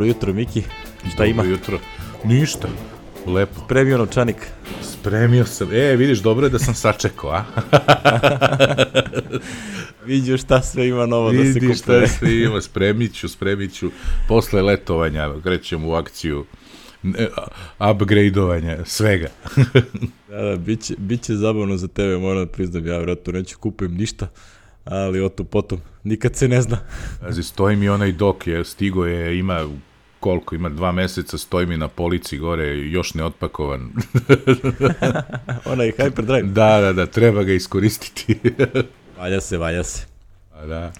Dobro jutro, Miki. Šta ima? Dobro jutro. Ništa. Lepo. Spremio novčanik. Spremio sam. Vidiš, dobro je da sam sačekao, a? Vidiš šta sve ima novo da se kupuje. Vidiš šta sve ima. Spremit ću. Posle letovanja krećem u akciju upgradeovanja svega. Da, bit će zabavno za tebe, moram da priznam. Ja vjerojatno neću kupujem ništa, ali o to potom. Nikad se ne zna. Znači, stoji mi onaj dok, stigo je, ima 2 meseca, stoji mi na polici gore, još ne otpakovan. Onaj Hyperdrive. Da, treba ga iskoristiti. Valja se. A da.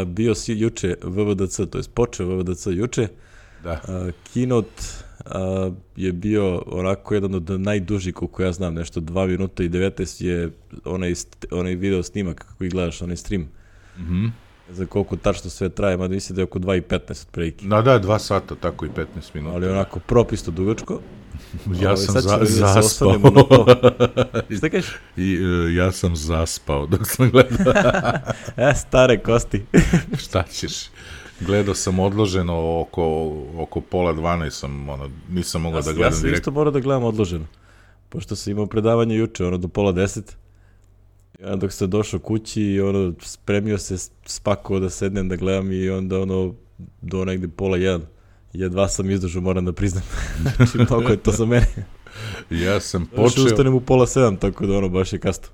Bio si juče VVDC, to je počeo VVDC juče. Da. Keynote je bio onako jedan od najdužih, koliko ja znam, nešto 2 minuta i 19 je onaj video snimak kako ih gledaš, onaj stream. Mhm. Za koliko tačno sve traje, mada mislim da je oko 2:15 otprilike. Da, 2 sata, tako i 15 minuta. Ali onako propisto dugačko. Ja sam zaspao. Šta kažeš? Ja sam zaspao dok sam gledao. Stare kosti. Šta ćeš? Gledao sam odloženo oko 11:30 nisam mogao da gledam direktno. Ja sam isto morao da gledam odloženo, pošto sam imao predavanje juče, do 9:30. Ja dok sam došao kući i spremio se, spakovao da sednem da gledam i onda do negde 12:30. Jedva sam izdržao, moram da priznam. Znači, mnogo je to za mene. Ja sam počeo... ustanem u 6:30, tako da baš je kasno.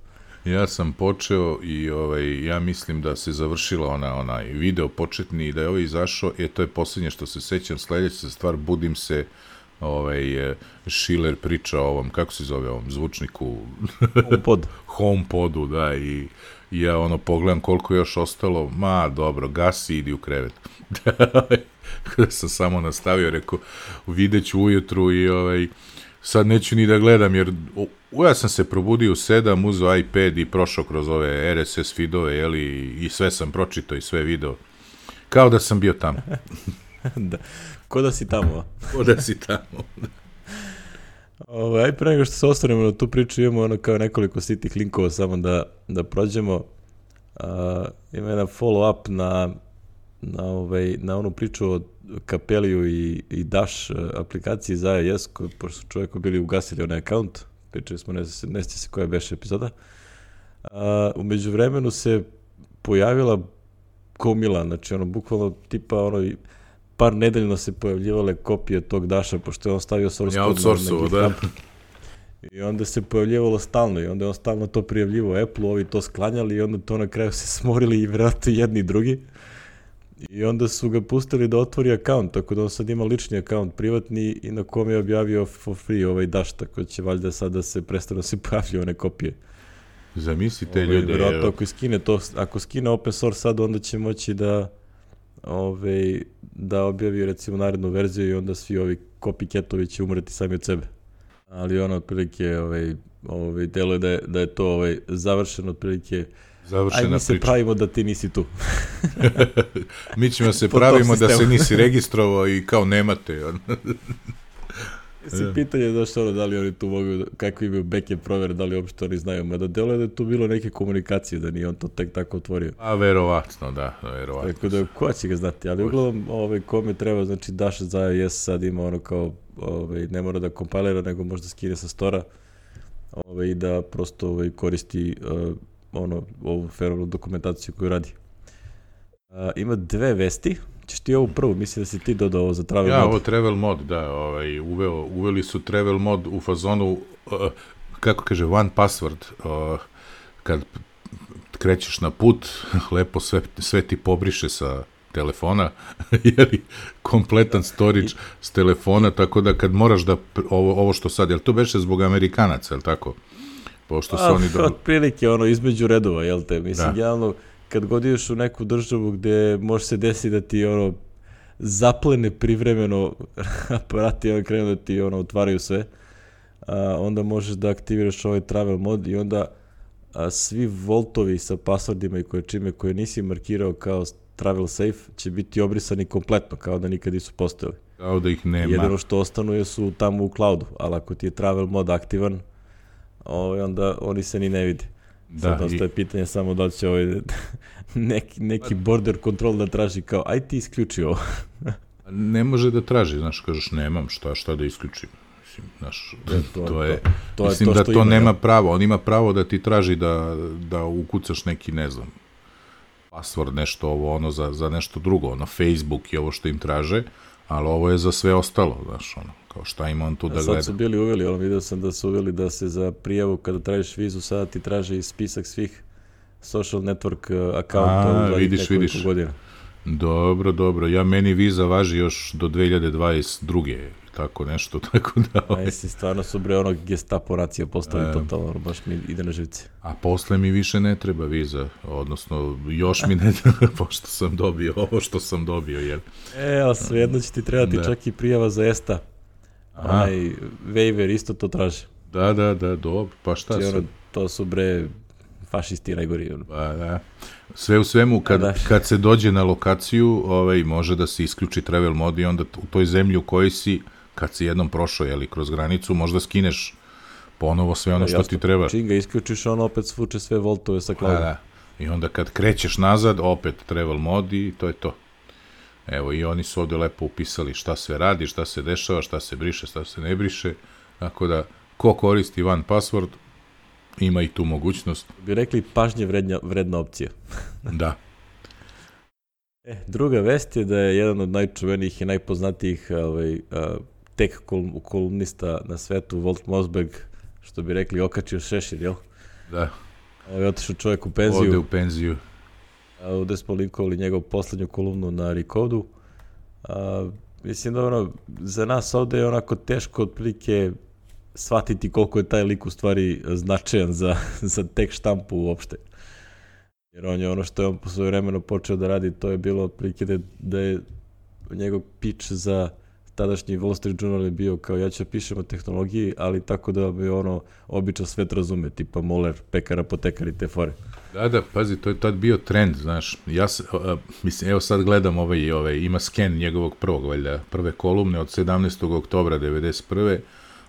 Ja sam počeo i ja mislim da se završila onaj video početni i da je ovaj izašao, to je posljednje što se sećam. Sledeća stvar, budim se, Schiller priča o ovom, kako se zove ovom zvučniku? HomePodu, da, i ja pogledam koliko je još ostalo, dobro, gasi, idi u krevet. Kada sam samo nastavio, rekao, vidjet ću ujutru i sad neću ni da gledam, jer ja sam se probudio u 7, uzeo iPad i prošao kroz ove RSS feedove, i sve sam pročitao i sve video. Kao da sam bio tamo. Da, ko da si tamo. Aj, pre nego što se osvrnemo na tu priču, imamo kao nekoliko sitnih linkova samo da prođemo. Ima jedan follow-up na onu priču o Kapeliju i Dash aplikaciji za iOS, pošto su čovjeku bili ugasili onaj account, pričali smo, ne sjeća se koja beše epizoda. U međuvremenu se pojavila gomila, znači bukvalno tipa par nedeljno se pojavljivale kopije tog Dasha, pošto je on stavio source code na GitHub. I onda se pojavljivalo stalno i onda je on stalno to prijavljivo Apple-u, ovi to sklanjali i onda to na kraju se smorili i vjerojatno jedni i drugi. I onda su ga pustili da otvori account, tako da on sad ima lični account privatni i na kom je objavio for free ovaj Dash, tako će valjda sad da se prestano se pojavljaju one kopije. Zamisli te ljude. Vjerojatno ako skine open source sad, onda će moći da objavi recimo narednu verziju i onda svi ovi copycatovi će umreti sami od sebe. Ali otprilike deluje da je to završeno otprilike. Aj, mi se pravimo da ti nisi tu. Mi ćemo se pravimo da se nisi registrovao i kao nemate. Pitanje je da li oni tu mogu, kako imaju backend provere, da li uopšte oni znaju, mada deluje da je tu bilo neke komunikacije, da nije on to tek tako otvorio. Verovatno, da. Tako da, ko će ga znati, ali uglavnom kome treba, znači Dash za iOS sad ima kao, ne mora da kompilira, nego možda skine sa stora i da prosto koristi ovu fenomenalnu dokumentaciju koju radi. Ima 2 vesti. Ćeš ti ovu prvu, mislim da si ti dodao ovo za travel mod. Ja, ovo travel mod, da, uveli su travel mod u fazonu, kako kaže, one password, kad krećeš na put, lepo sve ti pobriše sa telefona, jer kompletan storage s telefona, tako da kad moraš da, ovo što sad, jel to beše zbog Amerikanaca, jel tako? Pošto su oni otprilike između redova, jel te, mislim, javno, kad god ideš u neku državu gde može se desiti da ti zaplene privremeno aparati, krenu da ti otvaraju sve, onda možeš da aktiviraš ovaj travel mod i onda svi voltovi sa passwordima i koje nisi markirao kao travel safe će biti obrisani kompletno, kao da nikad nisu postojali. Kao da ih nema. Jedino što ostanu su tamo u cloudu, ali ako ti je travel mod aktivan, onda oni se ni ne vide. Sad ostaje pitanje samo da li će neki border control da traži kao, aj ti isključi ovo. Ne može da traži, znaš, kažeš, nemam šta da isključim. Mislim, znaš, mislim da to nema pravo. On ima pravo da ti traži da ukucaš neki, ne znam, password, nešto ovo, ono, za nešto drugo, ono, Facebook i ovo što im traže, ali ovo je za sve ostalo, znaš, ono, kao šta ima on tu da gleda. Sad su bili uveli, ono, vidio sam da su uveli da se za prijavu, kada tražiš vizu, sada ti traži i spisak svih social network akaunta u zadnjih nekoliko godina. Dobro. Meni viza važi još do 2022. Tako nešto, tako da... Stvarno su ono Gestapo racija postali totalno, baš mi ide na živce. A posle mi više ne treba viza, odnosno još mi ne treba, pošto sam dobio ovo što sam dobio, jel? Ali svejedno će ti trebati čak i prijava za ESTA. Onaj waiver isto to traži. Da, dobro, pa šta sam? To su fašisti najgori. Da. Sve u svemu, kad se dođe na lokaciju, može da se isključi travel mod i onda u toj zemlji u kojoj si, kad si jednom prošao, kroz granicu, možda skineš ponovo sve ono što ti treba. Čim ga isključiš, on opet svuče sve voltove sa cloudom. Da. I onda kad krećeš nazad, opet travel mod i to je to. Evo, i oni su ovde lepo upisali šta sve radi, šta se dešava, šta se briše, šta se ne briše. Tako da, ko koristi one password, ima i tu mogućnost. Bi rekli pažnje vredna opcija. Da. Druga vest je da je jedan od najčuvenijih i najpoznatijih tech kolumnista na svetu, Walt Mossberg, što bi rekli, okačio šešir, jel? Da. Otišao čovjek u penziju. Ovde u penziju. Ovde smo linkovali njegovu poslednju kolumnu na Recodu. Mislim da za nas ovde je onako teško otprilike shvatiti koliko je taj lik u stvari značajan za tech štampu uopšte. Jer on je ono što je on po svoje vremeno počeo da radi, to je bilo otprilike da je njegov pitch za tadašnji Wall Street Journal je bio kao ja ću pišem o tehnologiji, ali tako da bi običan svet razume, tipa moler, pekar, apotekar i te fore. Da, pazi, to je tad bio trend, znaš. Mislim, evo sad gledam ima sken njegovog prve kolumne od 17. oktobra 1991.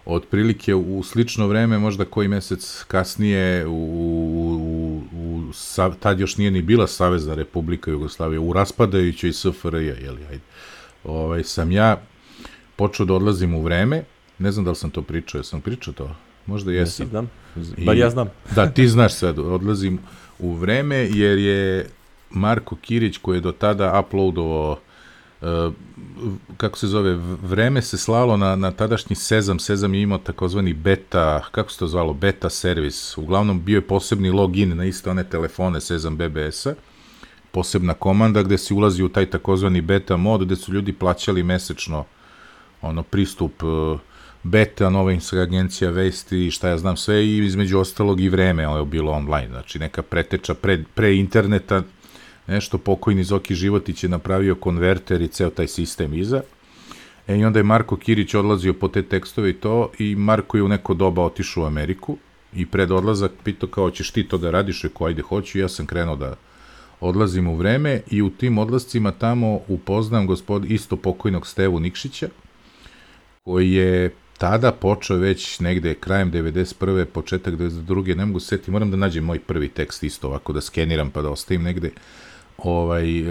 Otprilike u slično vreme, možda koji mesec kasnije, tad još nije ni bila Savezna Republika Jugoslavija, u raspadajućoj SFRJ, sam ja počeo da odlazim u vreme, ne znam da li sam to pričao, jesam pričao to? Možda jesam. Znam, bar ja znam. Da, ti znaš sad, odlazim u vreme, jer je Marko Kirić, koji je do tada uploadovao kako se zove, vreme se slalo na tadašnji Sezam je imao takozvani beta, kako se to zvalo, beta servis, uglavnom bio je posebni login na iste one telefone Sezam BBS-a, posebna komanda gde si ulazi u taj takozvani beta mod, gde su ljudi plaćali mesečno pristup beta, nova agencija vesti, šta ja znam sve, i između ostalog i vreme je bilo online, znači neka preteča pre interneta, nešto pokojni Zoki Životić je napravio konverter i ceo taj sistem iza. I onda je Marko Kirić odlazio po te tekstove i to, i Marko je u neko doba otišao u Ameriku i pred odlazak pitao kao ćeš ti to da radiš, rekao ajde hoću, ja sam krenuo da odlazim u vreme i u tim odlascima tamo upoznam isto pokojnog Stevu Nikšića, koji je tada počeo već negde krajem 91. početak 92. ne mogu setiti, moram da nađem moj prvi tekst isto ovako da skeniram pa da ostavim negde.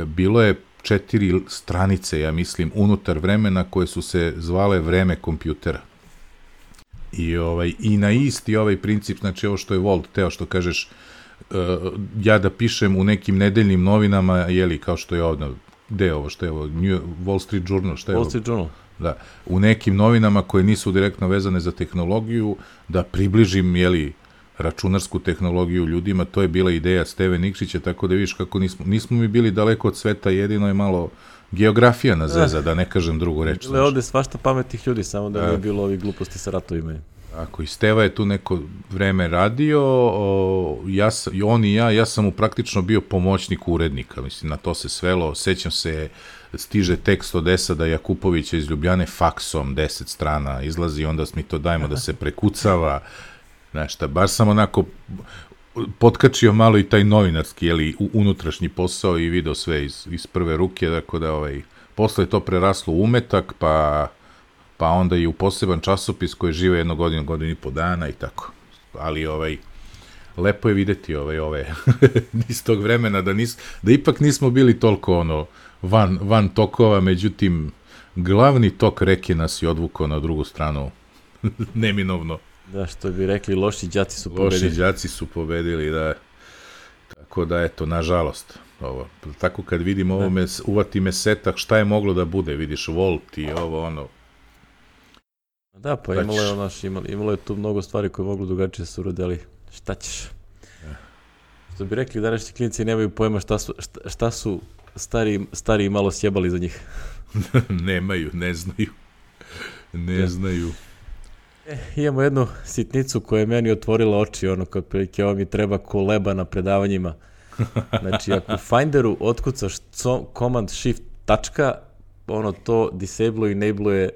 Bilo je 4 stranice, ja mislim, unutar vremena koje su se zvale vreme kompjutera. I na isti princip, znači ovo što je Walt teo, što kažeš, ja da pišem u nekim nedeljnim novinama, kao što je ovdje, gde je ovo, što je ovo, Wall Street Journal, što je ovo? Wall Street Journal. Da, u nekim novinama koje nisu direktno vezane za tehnologiju, da približim, računarsku tehnologiju ljudima, to je bila ideja Steve Nikšića, tako da vidiš kako nismo mi bili daleko od sveta, jedino je malo geografija na zeza, da ne kažem drugu reč. Bile ovde svašta pametnih ljudi, samo da nije bilo ovih gluposti sa ratovima. Tako, i Steva je tu neko vreme radio, on i ja sam mu praktično bio pomoćnik urednika, mislim, na to se svelo, sećam se, stiže tekst od Esada Jakupovića iz Ljubljane faksom, 10 strana izlazi, onda mi to dajemo da se prekucava, znaš šta, baš sam onako potkačio malo i taj novinarski, unutrašnji posao i video sve iz prve ruke, tako da posle je to preraslo u umetak, pa onda i u poseban časopis koji žive jednu godinu i po dana i tako. Ali lepo je videti ove iz tog vremena da ipak nismo bili toliko van tokova, međutim glavni tok reke nas je odvukao na drugu stranu, neminovno. Da, što bi rekli, loši đaci su pobedili. Loši đaci su pobedili, da. Tako da, eto, nažalost, ovo. Tako kad vidim ovo, uvati me setak, šta je moglo da bude, vidiš, Volt i ovo, ono. Da, pa imalo je tu mnogo stvari koje moglo drugačije se urode, ali šta ćeš? Što bi rekli, današnji klinci nemaju pojma šta su stari malo sjebali za njih. Nemaju, ne znaju. Imamo jednu sitnicu koja je meni otvorila oči, ono kao prilike, ovo mi treba koleba na predavanjima. Znači, ako u Finderu otkucaš command shift tačka, ono to disable i enable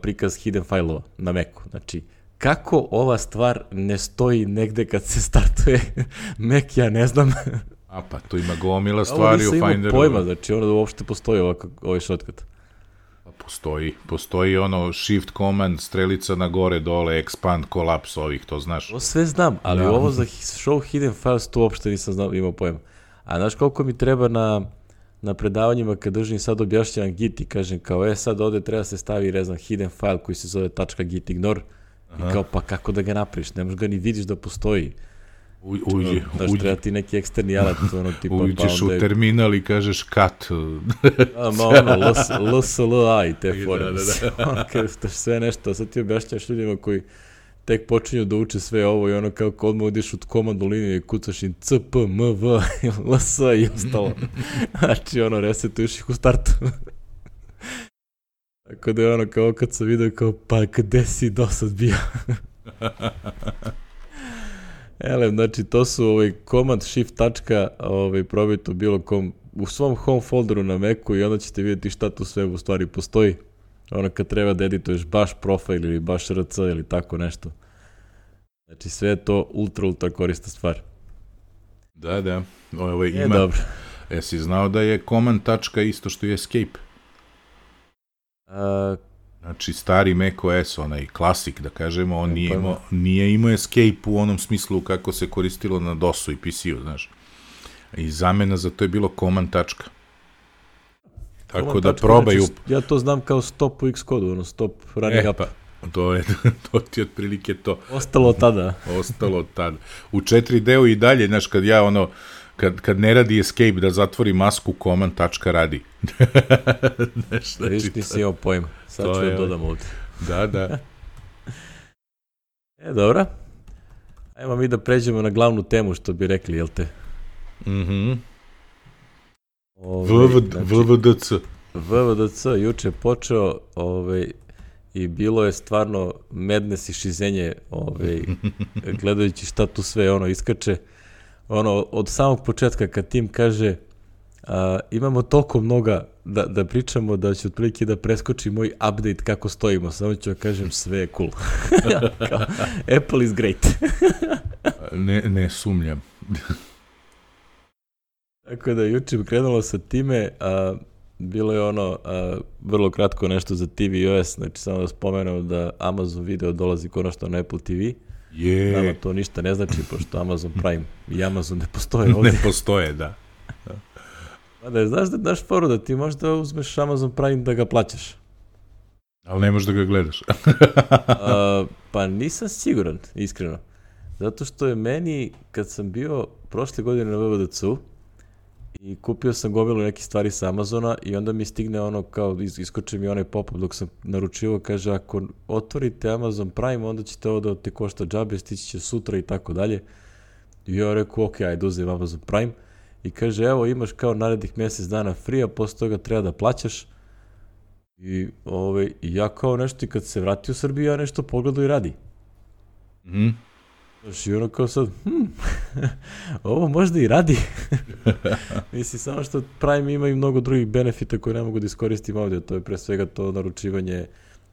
prikaz hidden failova na Macu. Znači, kako ova stvar ne stoji negde kad se startuje Mac, ja ne znam. A pa, tu ima gomila stvari u Finderu. Ovo nisam imao pojma, znači ono da uopšte postoji ovaj shortcut. Postoji ono shift command, strelica na gore, dole, expand, collapse ovih, to znaš. To sve znam, ali ovo za show hidden files to uopšte nisam imao pojma. A znaš koliko mi treba na predavanjima kad držim sad objašnjavam git i kažem kao sad ovde treba se stavi rezan hidden file koji se zove .git ignore i kao pa kako da ga napraviš, ne možeš ga ni vidiš da postoji. Znaš, treba ti neki eksterni alat, ono tipa... Uđeš u terminal i kažeš cut. ono, LSLA i te fore. Da. Sve nešto, sad ti objašnjaš ljudima koji tek počinju da uče sve ovo i ono kao odmah odiš u komandu liniju i kucaš im CP, MV, LS i ostalo. Znači, ono, resetuješ ih u startu. Tako da je ono kao kad sam vidio kao, pa gde si do sad bio? Znači, to su command shift tačka, probajte u bilo kom, u svom home folderu na Macu i onda ćete vidjeti šta tu sve u stvari postoji. Ono kad treba da edituješ baš profil ili baš RC ili tako nešto. Znači, sve je to ultra korista stvar. Da. Ima. Dobro. Jesi znao da je command tačka isto što je escape? Znači, stari macOS, onaj klasik, da kažemo, on nije imao escape u onom smislu kako se koristilo na DOS-u i PC-u, znaš. I zamena za to je bilo command tačka. Tako da probaju... Ja to znam kao stop u Xcode, ono stop running up. To ti je otprilike to. Ostalo tada. U 4D-u i dalje, znaš, kad ja ono... Kad ne radi escape da zatvori masku, command tačka radi. Viš, nisi imao pojma. Sad ću da dodam ovdje. Da. Dobro. Ajmo mi da pređemo na glavnu temu, što bi rekli, jel te? VVDC juče počeo i bilo je stvarno madness i šizenje gledajući šta tu sve iskače. Od samog početka kad tim kaže imamo toliko mnoga da pričamo da će otprilike da preskoči moj update kako stojimo, samo ću kažem sve je cool. Apple is great. Ne sumnjam. Tako da juče krenulo sa time, bilo je vrlo kratko nešto za tvOS, znači samo da spomenem da Amazon Video dolazi konačno na Apple TV. Nama to ništa ne znači, pošto Amazon Prime i Amazon ne postoje ovdje. Ne postoje, da. Znaš da daš foru da ti možda uzmeš Amazon Prime da ga plaćaš. Ali ne možeš da ga gledaš. Pa nisam siguran, iskreno. Zato što je meni, kad sam bio prošle godine na VVDC-u i kupio sam gomilu nekih stvari sa Amazona i onda mi stigne iskoče mi onaj pop-up dok sam naručivao, kaže ako otvorite Amazon Prime onda ćete ovo da te košta džabe, stići će sutra i tako dalje. I ja rekao ok, ajde uzem Amazon Prime i kaže evo imaš kao narednih mjesec dana free, a posle toga treba da plaćaš. I ja kao nešto i kad se vrati u Srbiju ja nešto pogledao i radi. I ono kao sad, ovo možda i radi. Mislim, samo što Prime ima i mnogo drugih benefita koje ne mogu da iskoristim ovdje. To je pre svega to naručivanje,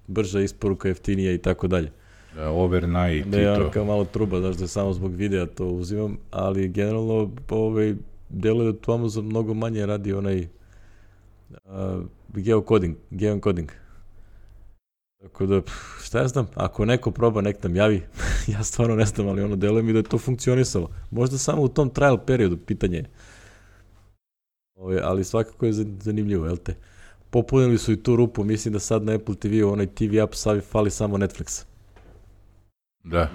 brža isporuka, jeftinija i tako dalje. Overnight i to. Kao malo truba, znaš da samo zbog videa to uzimam, ali generalno deluje da tu Amazon mnogo manje radi onaj geocoding. Tako da, šta ja znam, ako neko proba, nek nam javi, ja stvarno ne znam, ali deluje mi da je to funkcionisalo. Možda samo u tom trial periodu, pitanje je. Ali svakako je zanimljivo, jel te? popunili su i tu rupu, mislim da sad na Apple TV-u, onaj TV app fali samo Netflix. Da.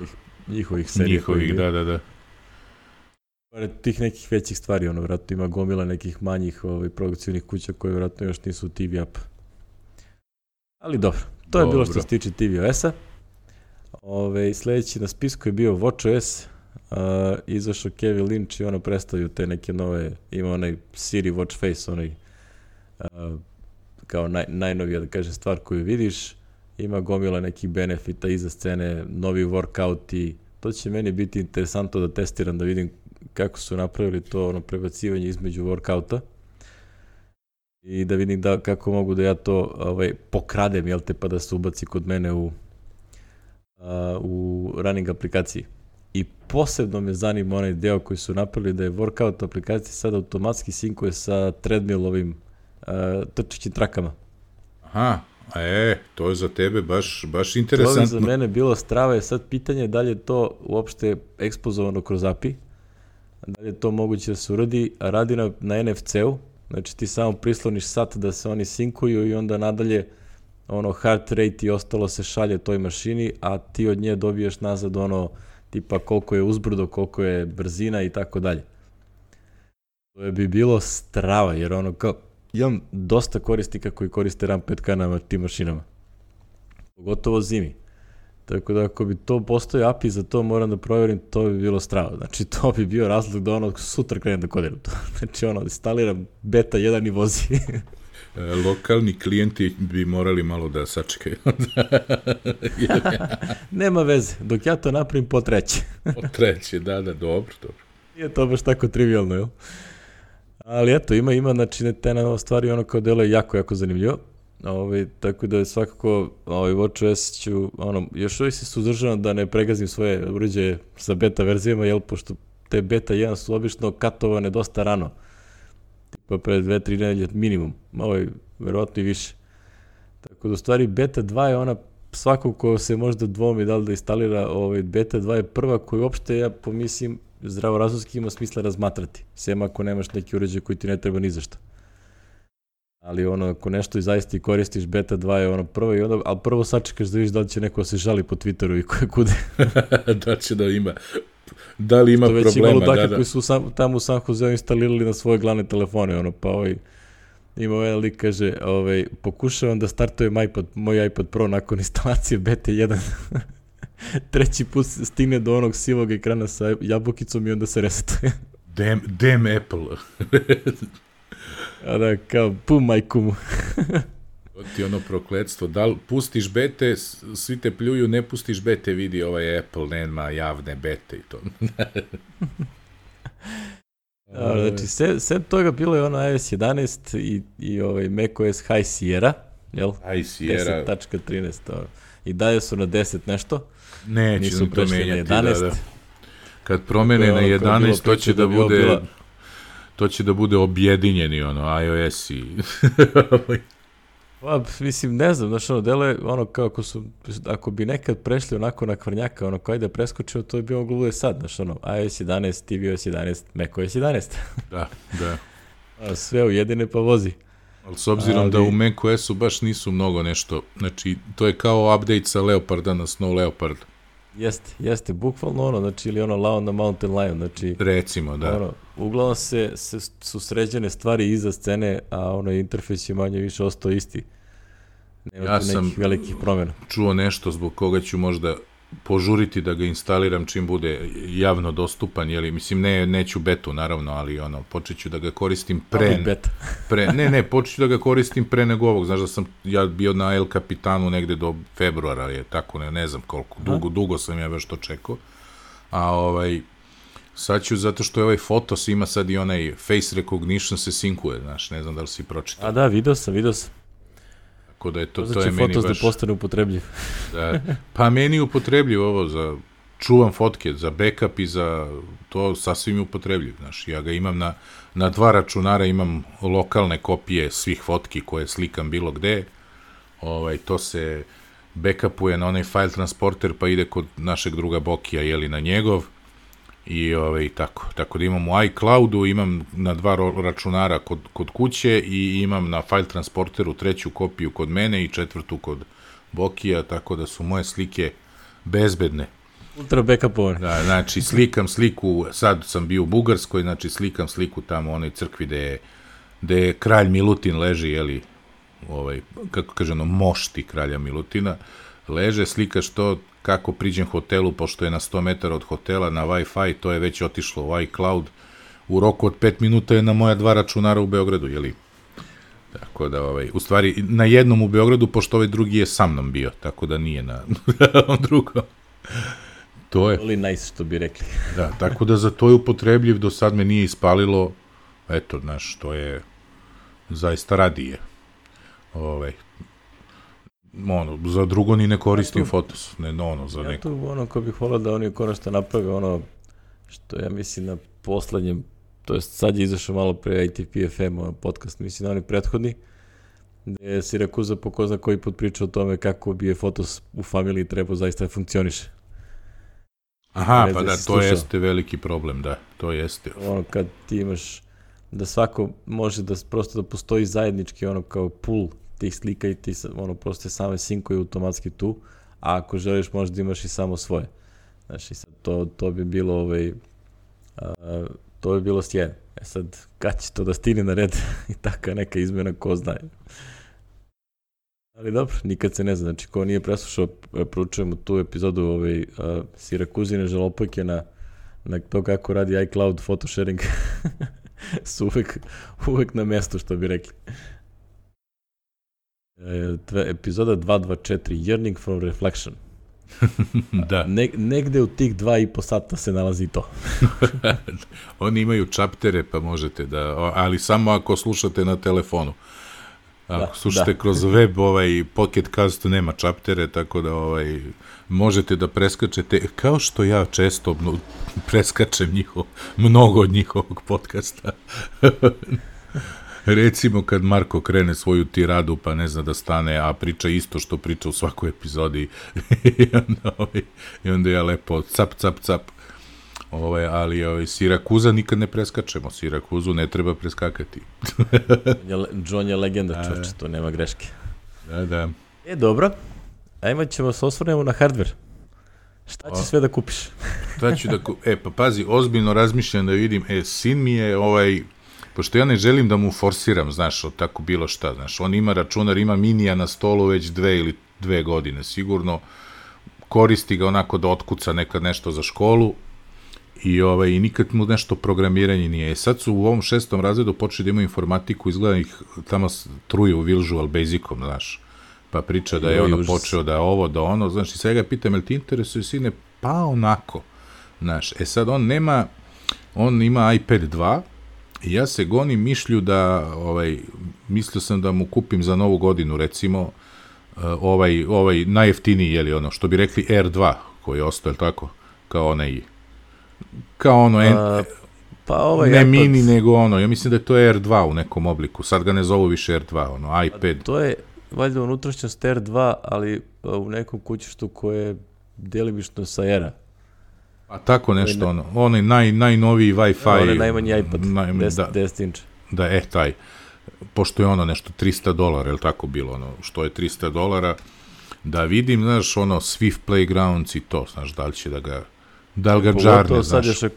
Njihovih serija. Njihovih, da. Tih nekih većih stvari, vjerojatno ima gomila nekih manjih produkcijnih kuća koje vjerojatno još nisu TV app. Ali dobro, to je bilo što se tiče tvOS-a. Sljedeći na spisku je bio WatchOS. Izašao Kevin Lynch i predstavio te neke nove, ima onaj Siri Watch Face, onaj kao najnovija, da kažem, stvar koju vidiš. Ima gomila nekih benefita iza scene, novi workout i to će meni biti interesantno da testiram, da vidim kako su napravili to prebacivanje između workouta i da vidim kako mogu da ja to pokradem, pa da se ubaci kod mene u running aplikaciji. I posebno me zanima onaj deo koji su napravili da je workout aplikacija sad automatski sinkuje sa treadmill trčićim trakama. Aha, to je za tebe baš interesantno. To je za mene bilo strava, je sad pitanje da li je to uopšte ekspozovano kroz API, da li je to moguće da se uradi, a radi na NFC-u, znači ti samo prisloniš sat da se oni sinkuju i onda nadalje heart rate i ostalo se šalje toj mašini, a ti od nje dobiješ nazad tipa koliko je uzbrdo, koliko je brzina i tako dalje. To bi bilo strava, jer imam dosta korisnika koji koriste RAM 5K na tim mašinama. Pogotovo zimi. Tako da ako bi to postoji API za to, moram da provjerim, to bi bilo strava. Znači to bi bio razlog da sutra krenem da kodiram to. Znači instaliram beta 1 i vozi. Lokalni klijenti bi morali malo da sačekaju. Nema veze, dok ja to napravim po treće. Po treće, da, dobro. Nije to baš tako trivialno, jel? Ali eto, ima znači te nove stvari, kao delo je jako zanimljivo. Tako da je svakako WatchOS ću, još uvijek se suzdržavam da ne pregazim svoje uređaje sa beta verzijama, jel, pošto te beta 1 su obično katovane dosta rano. Tipa pre 2-3 nedelje minimum, verovatno i više. Tako da u stvari beta 2 je ona, svako ko se možda dvomi da li da instalira beta 2 je prva koju uopšte ja pomislim zdravorazumski ima smisla razmatrati, sem ako nemaš neki uređaj koji ti ne treba ni za šta. Ali ako nešto i zaista i koristiš, beta 2 je prva i onda, ali prvo sačekaš da vidiš da li će neko se žali po Twitteru i koje kude. Da će da ima, da li ima problema, da. To već imalo koji su tamo u San Joseu instalirali na svoje glavne telefone, pa ima ovaj lik kaže, pokušavam da startujem moj iPad Pro nakon instalacije beta 1. Treći put stigne do onog sivog ekrana sa jabukicom i onda se resetuje. Damn Apple. A da, kao, pum majkumu. To ti prokletstvo. Da li pustiš bete, svi te pljuju, ne pustiš bete, vidi ovaj Apple, nema javne bete i to. Znači, sem toga bilo je iOS 11 i macOS High Sierra, jel? High Sierra. 10.13. I dalje su na 10 nešto. Neće nisu to menjati, da. Kad promene na 11, to će da bude... To će da bude objedinjeni, iOS i... Mislim, ne znam, znači, delo je kao ako bi nekad prešli onako na kvrnjaka, kao da je preskočio, to je bio moglo bude sad, znači, iOS 11, tvOS 11, macOS 11. Da. Sve ujedine pa vozi. Ali s obzirom da u macOS-u baš nisu mnogo nešto, znači, to je kao update sa Leoparda na Snow Leopard. Jeste, bukvalno znači, ili Lao na Mountain Lion, znači... Recimo, da. Uglavnom su sređene stvari iza scene, a interfejs je manje više ostao isti. Nema tu nekih velikih promjena. Čuo nešto zbog koga ću možda požuriti da ga instaliram čim bude javno dostupan, mislim, neću betu, naravno, ali počet ću da ga koristim počet ću da ga koristim pre nego ovog, znaš da sam ja bio na El Capitanu negde do februara, je tako, ne znam koliko, dugo sam ja baš to čekao, a sad ću, zato što je ovaj Fotos ima sad i onaj face recognition se sinkuje, znaš, ne znam da li si pročitao. A da, vidio sam. Tako da je to znači je meni Fotos baš... da postane upotrebljiv. Da, pa meni je upotrebljiv ovo za čuvam fotke, za backup i za to sasvim je upotrebljiv, znaš, ja ga imam na 2 računara, imam lokalne kopije svih fotki koje slikam bilo gde, to se backupuje na onaj file transporter pa ide kod našeg druga Bokija, na njegov, i tako da imam u iCloudu, imam na 2 računara kod kuće i imam na file transporteru 3. kopiju kod mene i 4. kod Bokija, tako da su moje slike bezbedne. Ultra backupovane. Da, znači slikam sliku, sad sam bio u Bugarskoj, znači slikam sliku tamo u onoj crkvi gde kralj Milutin leži, jeli, kako kaže ono, mošti kralja Milutina, leže, slikaš to, kako priđem hotelu, pošto je na 100 metara od hotela na Wi-Fi, to je već otišlo u iCloud, u roku od 5 minuta je na moja 2 računara u Beogradu, jeli? Tako da, u stvari, na jednom u Beogradu, pošto ovaj drugi je sa mnom bio, tako da nije na drugom. To je. Oli nice, što bi rekli. Da, tako da za to je upotrebljiv, do sad me nije ispalilo, eto, znaš, to je zaista radije. Za drugo ni ne koristim Fotos, za neko. Ja tu, ko bih volao da oni konačno naprave što ja mislim na poslednjem, to jest sad je izašao malo pre ITPFM podcast, mislim na oni prethodni, gde je Sirakuza po ko zna koji put pričao o tome kako bi je Fotos u familiji trebao zaista funkcioniše. Aha, pa da, to jeste veliki problem, da, to jeste. Kad ti imaš da svako može da prosto da postoji zajednički kao pool tih slika i ti prosto same sinkuju automatski tu, a ako želiš možda imaš i samo svoje. Znači sad to bi bilo to bi bilo sjajno. Sad, kad će to da stigne na red i taka neka izmena, ko zna. Ali dobro, nikad se ne zna. Znači, ko nije preslušao, proučujemo tu epizodu Sirakuzine žalopojke na to kako radi iCloud photo sharing. Su uvek na mestu, što bi rekli. Epizoda 224, Yearning from Reflection. Da. Negde u tih 2,5 sata se nalazi to. Oni imaju čaptere, pa možete ali samo ako slušate na telefonu. Ako slušate kroz web, Pocket Cast nema čaptere, tako da možete da preskačete, kao što ja često preskačem mnogo od njihovog podcasta. Recimo kad Marko krene svoju tiradu pa ne zna da stane, a priča isto što priča u svakoj epizodi i onda ja lepo cap. Ali Sirakuza nikad ne preskačemo, Sirakuzu ne treba preskakati. John je legenda, čoče, to nema greške. Da. Dobro, ajmo ćemo se osvrnemo na hardware. Šta će sve da kupiš? Šta ću da kupim? Pa pazi, ozbiljno razmišljam da vidim, sin mi je pošto ja ne želim da mu forsiram, znaš, tako bilo šta, znaš, on ima računar, ima minija na stolu već 2 ili 2 godine, sigurno, koristi ga onako da otkuca nekad nešto za školu i nikad mu nešto programiranje nije. Sad su u ovom 6. razredu počeli da imaju informatiku, izgleda ih tamo truju Visual Basicom, znaš, pa priča da je počeo da ovo, da ono, znaš, i sve ga pitam, jel ti interesuje, sine? Pa onako, znaš, sad on ima iPad 2, i ja se gonim mišlju da, mislio sam da mu kupim za novu godinu, recimo, najjeftiniji, jeli ono, što bi rekli R2, koji je ostao, tako, kao ne mini, nego ja mislim da je to R2 u nekom obliku, sad ga ne zovu više R2, iPad. To je, valjda, unutrašnjost R2, ali u nekom kućištu koje je delimično sa R-a. A tako nešto, onaj najnoviji Wi-Fi. Onaj najmanji iPad, 10 inča. Da, taj. Pošto je nešto $300, je li tako bilo, što je $300, da vidim, znaš, Swift Playgrounds i to, znaš, da li će da li ga džarne, znaš. Sad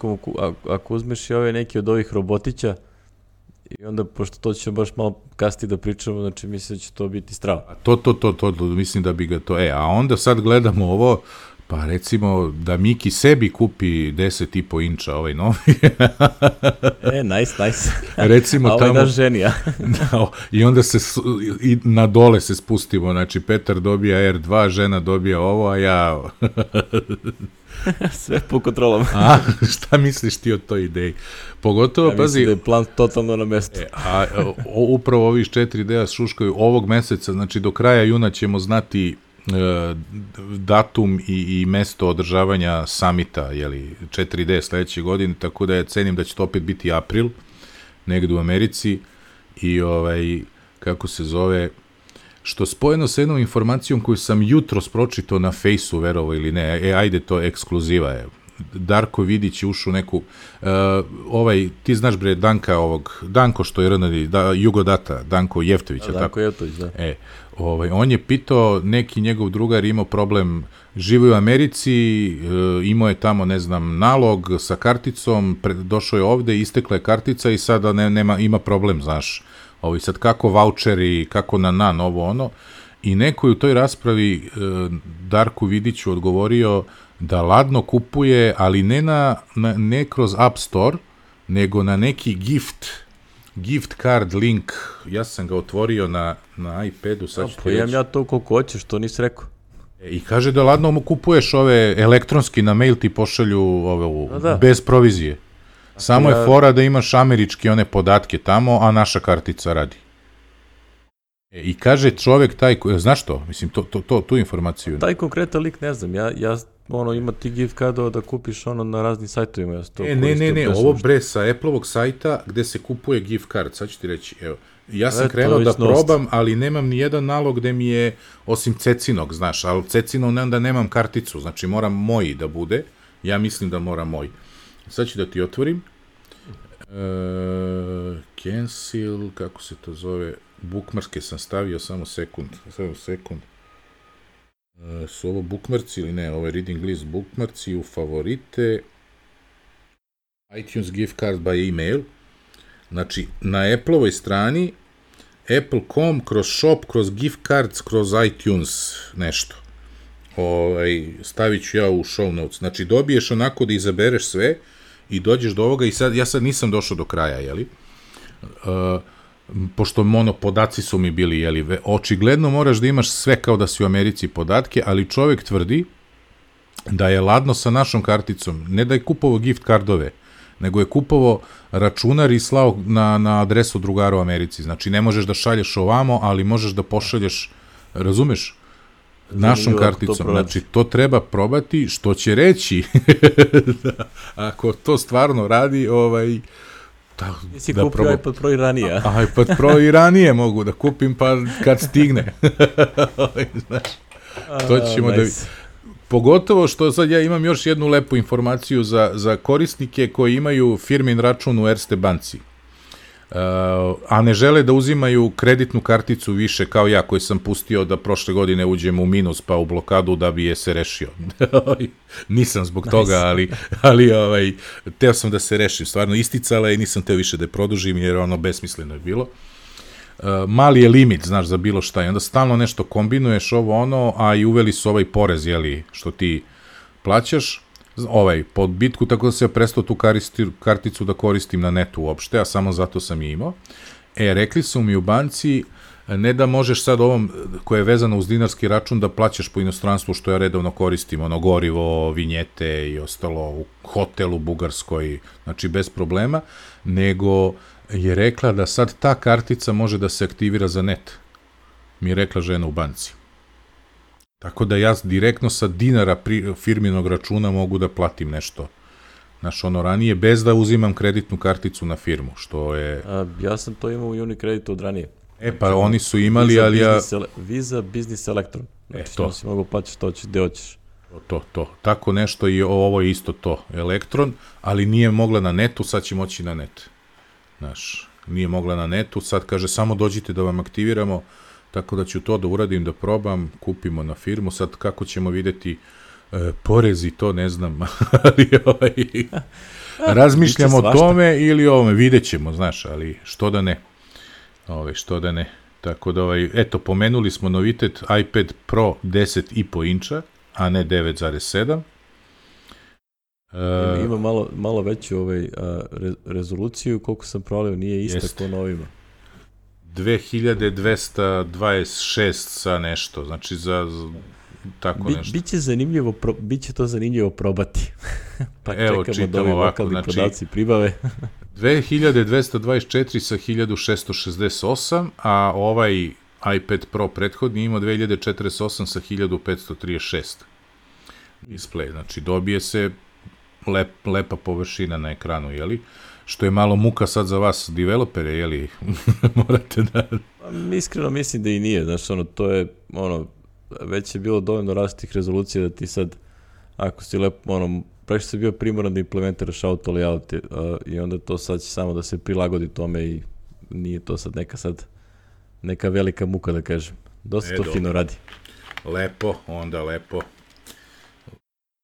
ako uzmeš i neki od ovih robotića, i onda, pošto to ćemo baš malo kasnije da pričamo, znači mislim da će to biti strava. To, mislim da bi ga to, a onda sad gledamo ovo, pa recimo da Miki sebi kupi 10,5 inča ovaj novi. Nice. Recimo a ovaj naš ženija. I onda na dole se spustimo, znači Petar dobija R2, žena dobija ovo, a ja... Sve po kontrolama. Šta misliš ti o toj ideji? Pogotovo, pazi... Mislim da je plan totalno na mestu. Upravo ovi 4D šuškaju ovog meseca, znači do kraja juna ćemo znati datum i mesto održavanja samita, 4D sledeće godine, tako da ja cenim da će to opet biti april, negde u Americi, i kako se zove, što spojeno sa jednom informacijom koju sam jutros pročitao na Fejsu, verovo ili ne, ajde, to ekskluziva je, Darko Vidić je ušao u neku, ti znaš bre Danko što je RND, Jugodata, Danko Jeftović, Danko tako? Jeftović, da. On je pitao, neki njegov drugar imao problem, živo u Americi, imao je tamo, ne znam, nalog sa karticom, došao je ovde, istekla je kartica i sada ima problem, znaš, sad kako voucheri, kako ovo ono, i neko je u toj raspravi Darku Vidiću odgovorio da ladno kupuje, ali ne kroz App Store, nego na neki gift card link. Ja sam ga otvorio na iPadu. Imam ja to koliko hoćeš, što nisi rekao. I kaže da ladno mu kupuješ ove elektronski, na mail ti pošalju bez provizije. Samo je fora da imaš američki one podatke tamo, a naša kartica radi. I kaže čovek taj, znaš to? Mislim, tu informaciju. Taj konkretan lik ne znam, ja ima ti gift cardova da kupiš na raznim sajtovima. Ne, ovo bre sa Apple-ovog sajta gde se kupuje gift card, sad ću ti reći, evo, ja sam krenuo da probam, ali nemam ni jedan nalog gde mi je, osim Cecinog, znaš, ali Cecinog onda nemam karticu, znači moram moji da bude, ja mislim da mora moj. Sad ću da ti otvorim. Cancel, kako se to zove, bookmarke sam stavio, samo sekund. Su ovo bookmarci ili ne, ovo je reading list bookmarci u favorite, iTunes gift card by email, znači na Apple-ovoj strani, apple.com, kroz shop, kroz gift cards, kroz iTunes, nešto. Stavit ću ja u show notes, znači dobiješ onako da izabereš sve i dođeš do ovoga i ja sad nisam došao do kraja, jeli? Pošto podaci su mi bili, jeli, očigledno moraš da imaš sve kao da si u Americi podatke, ali čovjek tvrdi da je ladno sa našom karticom, ne da je kupovao gift kardove, nego je kupovao računar i slao na adresu drugara u Americi. Znači, ne možeš da šalješ ovamo, ali možeš da pošalješ, razumeš, našom karticom. Znači, to treba probati, što će reći da ako to stvarno radi, Nisi kupio iPad Pro i ranije. iPad Pro i ranije mogu da kupim, pa kad stigne. Znaš, to ćemo da... Pogotovo što sad ja imam još jednu lepu informaciju za korisnike koji imaju firmin račun u Erste banci, a ne žele da uzimaju kreditnu karticu više kao ja, koji sam pustio da prošle godine uđem u minus pa u blokadu da bi je se rešio. Nisam zbog toga, ali teo sam da se rešim. Stvarno isticala i nisam teo više da je produžim jer besmisleno je bilo. Mali je limit, znaš, za bilo šta i onda stalno nešto kombinuješ a i uveli su ovaj porez, jeli, što ti plaćaš, pod bitku, tako da se ja prestao tu karticu da koristim na netu uopšte, a samo zato sam je imao. Rekli su mi u banci, ne da možeš sad ovom, koje je vezano uz dinarski račun, da plaćaš po inostranstvu, što ja redovno koristim, gorivo, vinjete i ostalo, u hotelu Bugarskoj, znači bez problema, nego je rekla da sad ta kartica može da se aktivira za net. Mi je rekla žena u banci. Tako da ja direktno sa dinara firminog računa mogu da platim nešto. Znaš, ranije, bez da uzimam kreditnu karticu na firmu, što je... Ja sam to imao u Unicreditu od ranije. Pa oni su imali, ali ja... Visa Business Electron. Znači, to si mogu plaćati što hoćeš, gde hoćeš. To. Tako nešto i ovo je isto to, Elektron, ali nije mogla na netu, sad će moći na net. Znaš, nije mogla na netu, sad kaže samo dođite da vam aktiviramo, tako da ću to da uradim, da probam, kupimo na firmu, sad kako ćemo videti porezi, to ne znam, ali razmišljamo o tome ili o ovome, vidjet ćemo, znaš, ali što da ne. Tako da, eto, pomenuli smo novitet iPad Pro 10,5 inča, a ne 9,7. Ima malo veću rezoluciju, koliko sam prolio, nije ista ko na ovima. 2226 sa nešto, znači za tako nešto. Biće to zanimljivo probati. Pa evo, čekamo da ovi lokalni podaci pribave. 2224 sa 1668, a ovaj iPad Pro prethodni ima 2048 sa 1536 display, znači dobije se lepa površina na ekranu, jeli? Što je malo muka sad za vas, developere, jeli? Morate da... Iskreno mislim da i nije, znaš, to je, već je bilo dovoljno različitih rezolucija da ti sad, ako si lepo, previše se bio primoran da implementiraš auto layout i onda to sad će samo da se prilagodi tome i nije to sad neka velika muka da kažem. Dosta to fino radi. Lepo, onda lepo.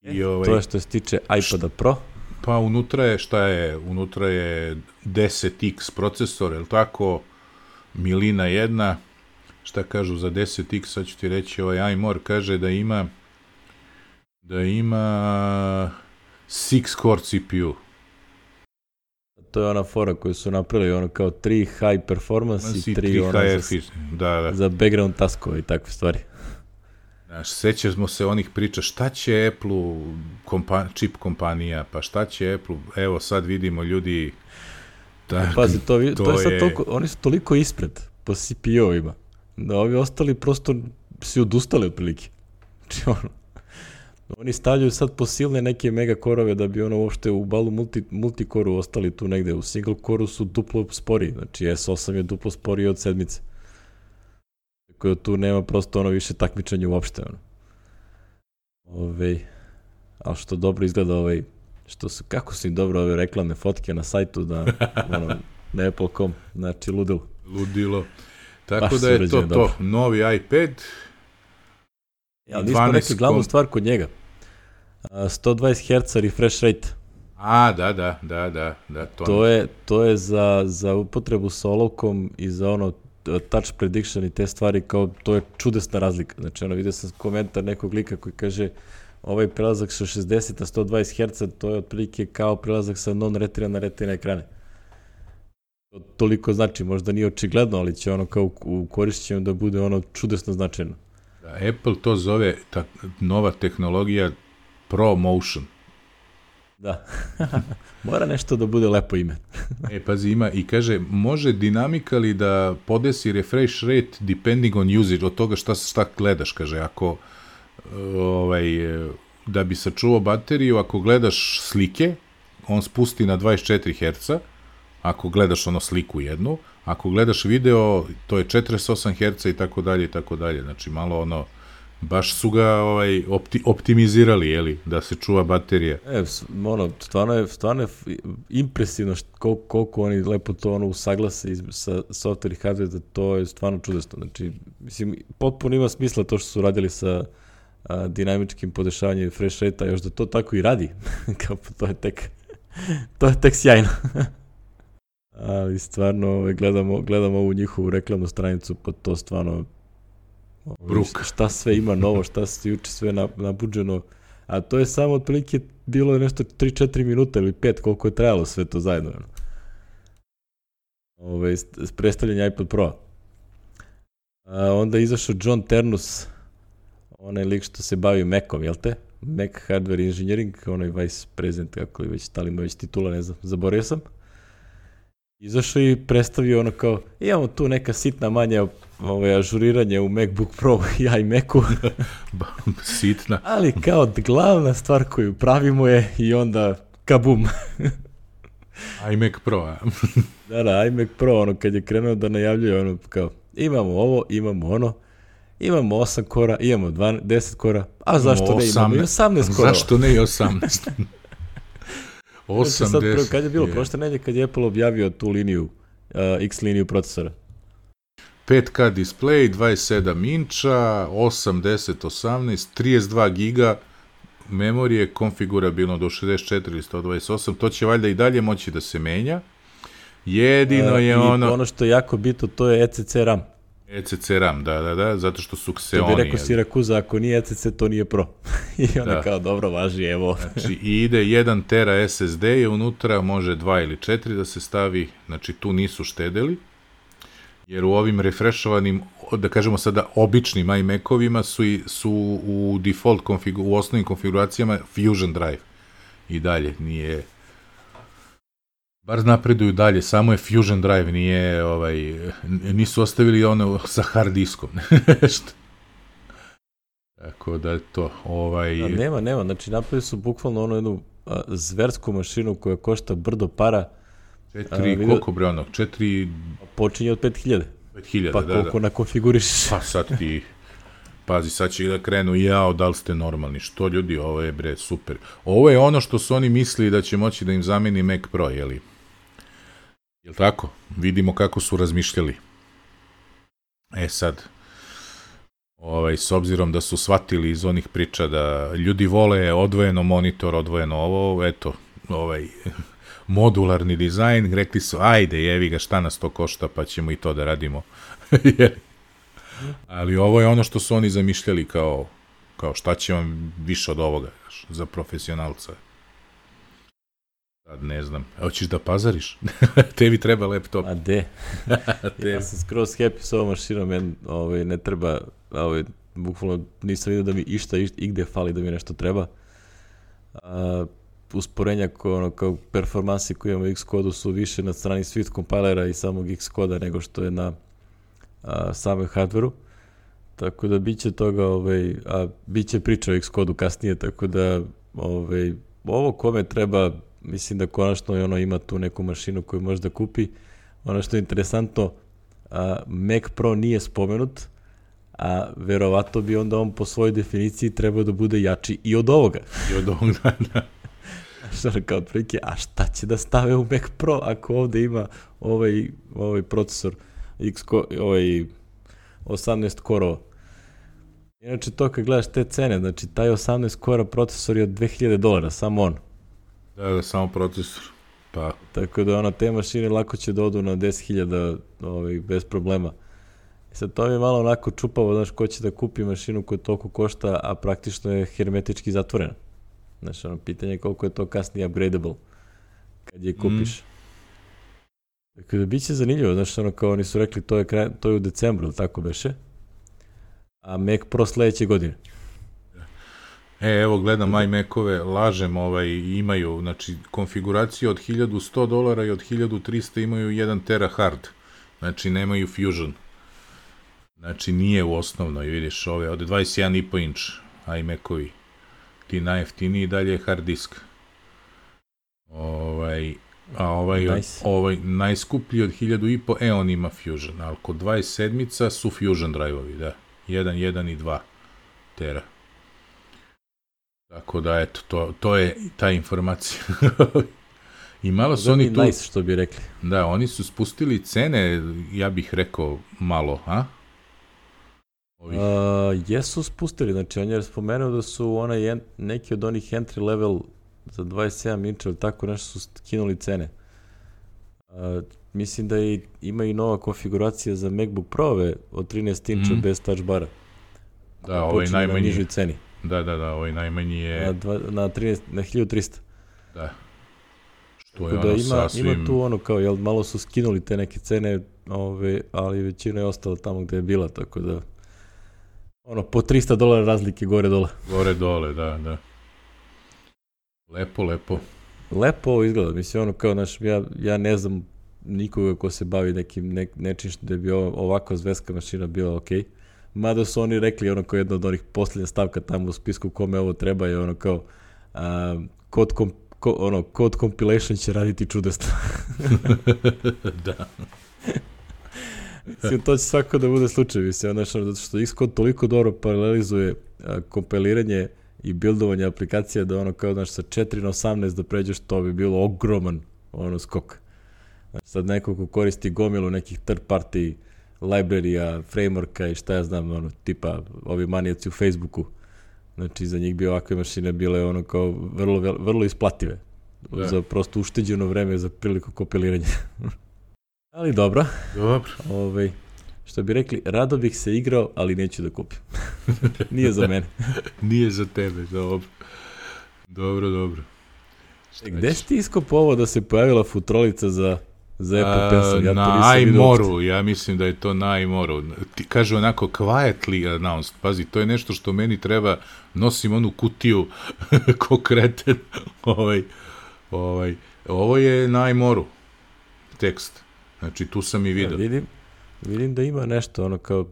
I to je što se tiče iPada Pro. Pa unutra je, šta je? Unutra je 10X procesor, je li tako? Milina jedna. Šta kažu za 10X, sad ću ti reći, iMore kaže da ima 6-core CPU. To je ona fora koju su napravili, ono kao 3 high performance i 3 ono za background taskove i takve stvari. Znaš, sećamo se onih priča, šta će Apple-u, čip kompanija, pa šta će Apple, evo sad vidimo ljudi... Pazi, to je sad toliko, oni su toliko ispred po CPU-ovima, da ovi ostali prosto si odustali otprilike. Znači oni stavljaju sad po silne neke mega korove da bi ono uopšte u balu multikoru ostali tu negde. U single koru su duplo spori, znači S8 je duplo sporiji od 7. Tako tu nema prosto ono više takmičanja uopšte. Ali što dobro izgleda kako su im dobro ove reklamne fotke na sajtu na Apple.com, znači ludilo. Ludilo. Tako da je to novi iPad. Ali nismo rekli glavnu stvar kod njega. 120 Hz refresh rate. Da. To je za upotrebu sa olovkom i za ono touch prediction i te stvari, kao to je čudesna razlika. Znači, vidio sam komentar nekog lika koji kaže ovaj prelazak sa 60 na 120 Hz, to je otprilike kao prelazak sa non-retina na retina ekrane. To toliko znači, možda nije očigledno, ali će ono kao u korišćenju da bude ono čudesno značajno. Apple to zove nova tehnologija ProMotion. Da. Mora nešto da bude lepo ime. Pazi, ima i kaže, može dinamically da podesi refresh rate depending on usage, od toga šta gledaš, kaže, ako da bi sačuvao bateriju, ako gledaš slike, on spusti na 24 Hz, ako gledaš sliku jednu, ako gledaš video, to je 48 Hz i tako dalje, znači malo baš su ga optimizirali, jeli, da se čuva baterija. Stvarno je impresivno koliko oni lepo to usaglase sa software i hardware, da to je stvarno čudesno. Znači, mislim, potpuno ima smisla to što su radili sa dinamičkim podešavanjem refresh rate-a, još da to tako i radi. To je tek sjajno. Ali stvarno gledamo ovu njihovu reklamnu stranicu, pa to stvarno šta sve ima novo, šta se juče sve nabuđeno, a to je samo otprilike bilo nešto 3-4 minuta ili 5 koliko je trajalo sve to zajedno. Predstavljanje iPad Pro. Onda je izašao John Ternus, onaj lik što se bavi Macom, jel te? Mac Hardware Engineering, onaj vice president, kako li već, da li ima već titula, ne znam, zaboravio sam. Izašao i predstavio kao, imamo tu neka sitna manja ažuriranje u MacBook Pro i iMacu. Sitna. Ali kao glavna stvar koju pravimo je i onda kabum. iMac Pro, a? Da, iMac Pro, kad je krenuo da najavljuje, kao, imamo ovo, imamo ono, imamo 8 kora, imamo 10 kora, a zašto ne imamo i 18 kora? Zašto ne i 18? Kad je bilo prošle nedelje kad je Apple objavio tu liniju, X liniju procesora? 5K display, 27 inča, 8, 10, 18, 32 giga memorije, konfigurabilno do 64 ili 128, to će valjda i dalje moći da se menja. Jedino je ono što je jako bitno, to je ECC RAM. ECC RAM, da, zato što su Xeoni. To bi rekao Sirakuza, ako nije ECC, to nije Pro. I onda kao, dobro, važi, evo. Znači, ide 1 tera SSD je unutra, može 2 ili 4 da se stavi, znači tu nisu štedeli, jer u ovim refreshovanim, da kažemo sada, običnim iMac-ovima su u default, u osnovnim konfiguracijama Fusion Drive. I dalje, nije... Bar napreduju dalje, samo je Fusion Drive, nisu ostavili ono sa hard diskom. Tako da je to, Nema, znači napravili su bukvalno jednu zversku mašinu koja košta brdo para. 4, koliko bre 4... Počinje od 5000. 5000, pa koliko nakonfiguriš. Pa sad ti... pazi, sad će da krenu, jao, da li ste normalni, što ljudi, ovo je bre, super. Ovo je ono što su oni mislili da će moći da im zameni Mac Pro, jeli? Jel tako? Vidimo kako su razmišljali. Sad, s obzirom da su shvatili iz onih priča da ljudi vole odvojeno monitor, odvojeno ovo, eto, modularni dizajn, rekli su, ajde, jevi ga, šta nas to košta, pa ćemo i to da radimo. Ali ovo je ono što su oni zamišljali kao šta će vam više od ovoga, za profesionalca. Sad ne znam, hoćeš da pazariš? Tebi treba laptop. A de? Ja sam skroz happy s ovom mašinom, ne treba, bukvalno nisam vidio da mi išta igde fali da mi nešto treba. Usporenja kao performansi koje imamo u Xcode-u su više na strani Swift kompilera i samog Xcode-a nego što je na samom hardveru. Tako da biće toga, a biće priča o Xcode-u kasnije, tako da ovo kome treba, mislim da konačno ima tu neku mašinu koju može da kupi. Ono što je interesantno, Mac Pro nije spomenut, a verovatno bi onda on po svojoj definiciji trebao da bude jači i od ovoga. I od ovoga, da. Kao otprilike, a šta će da stave u Mac Pro ako ovde ima ovaj procesor 18 korova. Inače to kad gledaš te cene, znači taj 18 kora procesor je od $2000, samo on. Da, samo procesor. Pa. Tako da te mašine lako će da odu na 10.000 bez problema. I sad to mi je malo onako čupavo, znaš, ko će da kupi mašinu koja toliko košta, a praktično je hermetički zatvorena. Znaš, pitanje je koliko je to kasnije upgradable kad je kupiš. Tako da bit će zanimljivo, znaš, kao oni su rekli, to je u decembru, ili tako beše? A Mac Pro sledeće godine. Evo, gledam iMac-ove, lažem, imaju, znači, konfiguracije od $1100 i od 1300 imaju 1 tera hard. Znači, nemaju Fusion. Znači, nije u osnovnoj, vidiš, od 21,5 inč iMac-ovi. Ti najjeftiniji, dalje je hard disk. Ovaj najskuplji od 1500, on ima Fusion, ali kod 27-ica su Fusion drive-ovi, da. 1, 1 i 2 tera. Tako da, eto, to je ta informacija. I malo su oni tu... Nice, što bi rekli. Da, oni su spustili cene, ja bih rekao, malo, a? Jesu spustili, znači on je spomenuo da su neki od onih entry level za 27 inča ili tako nešto su skinuli cene. Mislim da ima i nova konfiguracija za MacBook Pro-ove od 13 inča bez touch bara. Da, ovaj najmanji. Na nižoj ceni. Da, ovaj najmanji je... Na 1300. Da. Što je ono sasvim... Ima tu kao, malo su skinuli te neke cene, ali većina je ostala tamo gde je bila, tako da... po $300 razlike gore-dole. Gore-dole, da. Lepo. Lepo ovo izgleda, mislim, kao, ja ne znam nikoga ko se bavi nečim što bi ovakva zvezka mašina bila okej. Mada su oni rekli, kao jedna od onih posljednja stavka tamo u spisku kome ovo treba je kao code compilation će raditi čudesno. Da. Mislim, to će svako da bude slučaj, mislim, zato što Xcode toliko dobro paralelizuje kompiliranje i buildovanje aplikacija da kao, sa 4 na 18 da pređeš, to bi bilo ogroman skok. Sad neko ko koristi gomilu nekih third party librarija, frameworka i šta ja znam, tipa ovi manijaci u Facebooku, znači za njih bi ovakve mašine bile kao vrlo isplative za prosto ušteđeno vreme za priliku kompiliranja. Ali dobro. Što bi rekli, rado bih se igrao, ali neću da kupim. Nije za mene. Nije za tebe, dobro. Gde si ti iskopao ovo da se pojavila futrolica za Apple Pencil? Na iMoru, ja mislim da je to na iMoru. Ti kaže onako quietly announced, pazi, to je nešto što meni treba, nosim onu kutiju ko kreten. Ovo je na iMoru tekst. Znači, tu sam i vidio. Vidim da ima nešto, kao,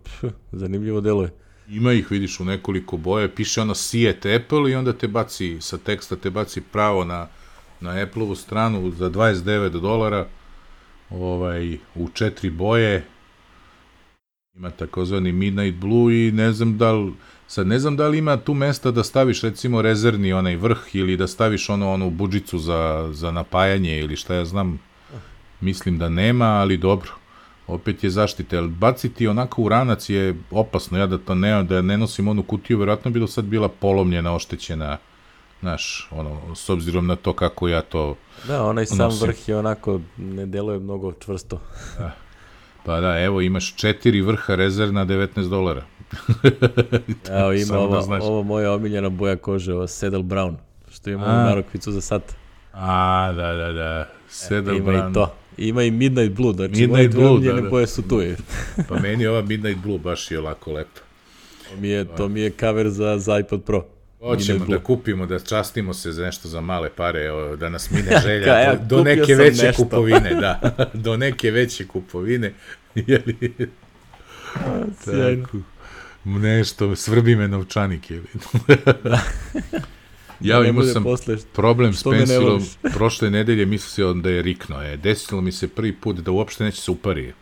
zanimljivo deluje. Ima ih, vidiš, u nekoliko boje, piše see at Apple i onda te baci, sa teksta te baci pravo na Apple-ovu stranu za $29, u 4 boje, Ima takozvani Midnight Blue i ne znam da li ima tu mesta da staviš recimo rezervni onaj vrh ili da staviš onu budžicu za napajanje ili šta ja znam. Mislim da nema, ali dobro. Opet je zaštita, jer baciti onako u ranac je opasno, ja da ne nosim onu kutiju, verovatno bi do sad bila polomljena, oštećena, znaš, s obzirom na to kako ja to Da, onaj sam vrh je onako, ne deluje mnogo čvrsto. Da. Pa da, evo, imaš 4 vrha rezervna $19. Evo, ima ovo moja omiljena boja kože, ovo Saddle Brown, što ima narukvicu za sat. Da. Saddle Brown. Ima i to. Ima i Midnight Blue, znači moje dve omiljene boje su tu. Pa meni ova Midnight Blue baš je lako lepo. To mi je cover za iPod Pro. Hoćemo da kupimo, da častimo se za nešto za male pare, da nas mine želja do neke veće kupovine, da. Do neke veće kupovine. Tako. Nešto, svrbi me novčanik. Ja imao sam problem s pensilom, prošle nedelje mislio da je rikno. Desilo mi se prvi put da uopšte neće se upari.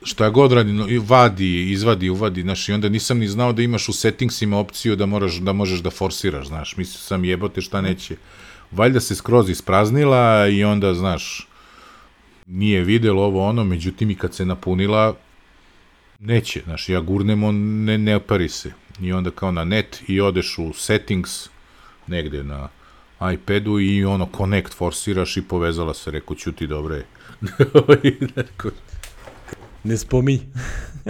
Šta god radi, izvadi, uvadi, znaš, i onda nisam ni znao da imaš u settingsima opciju da možeš da forsiraš, znaš, mislio sam jebote šta neće. Valjda se skroz ispraznila i onda, znaš, nije videlo ovo međutim i kad se napunila, neće, znaš, ja gurnem, on ne opari se. I onda kao na net i odeš u settings, negde na iPadu i connect forsiraš i povezala se, rekao, ćuti, dobro je. Ne spominj.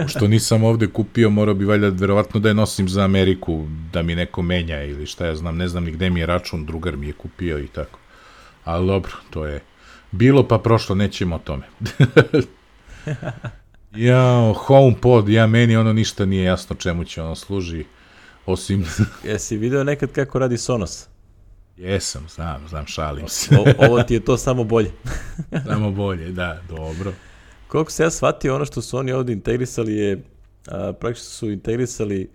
Što nisam ovde kupio, morao bi valjda verovatno da je nosim za Ameriku, da mi neko menja ili šta ja znam, ne znam ni gde mi je račun, drugar mi je kupio i tako. Ali dobro, to je bilo pa prošlo, nećemo o tome. HomePod, meni ništa nije jasno čemu će služi, osim... Jesi video nekad kako radi Sonos? Jesam, znam, šalim se. Ovo ti je to samo bolje. Samo bolje, da, dobro. Koliko se ja shvatio, ono što su oni ovdje integrisali je, praktično su integrisali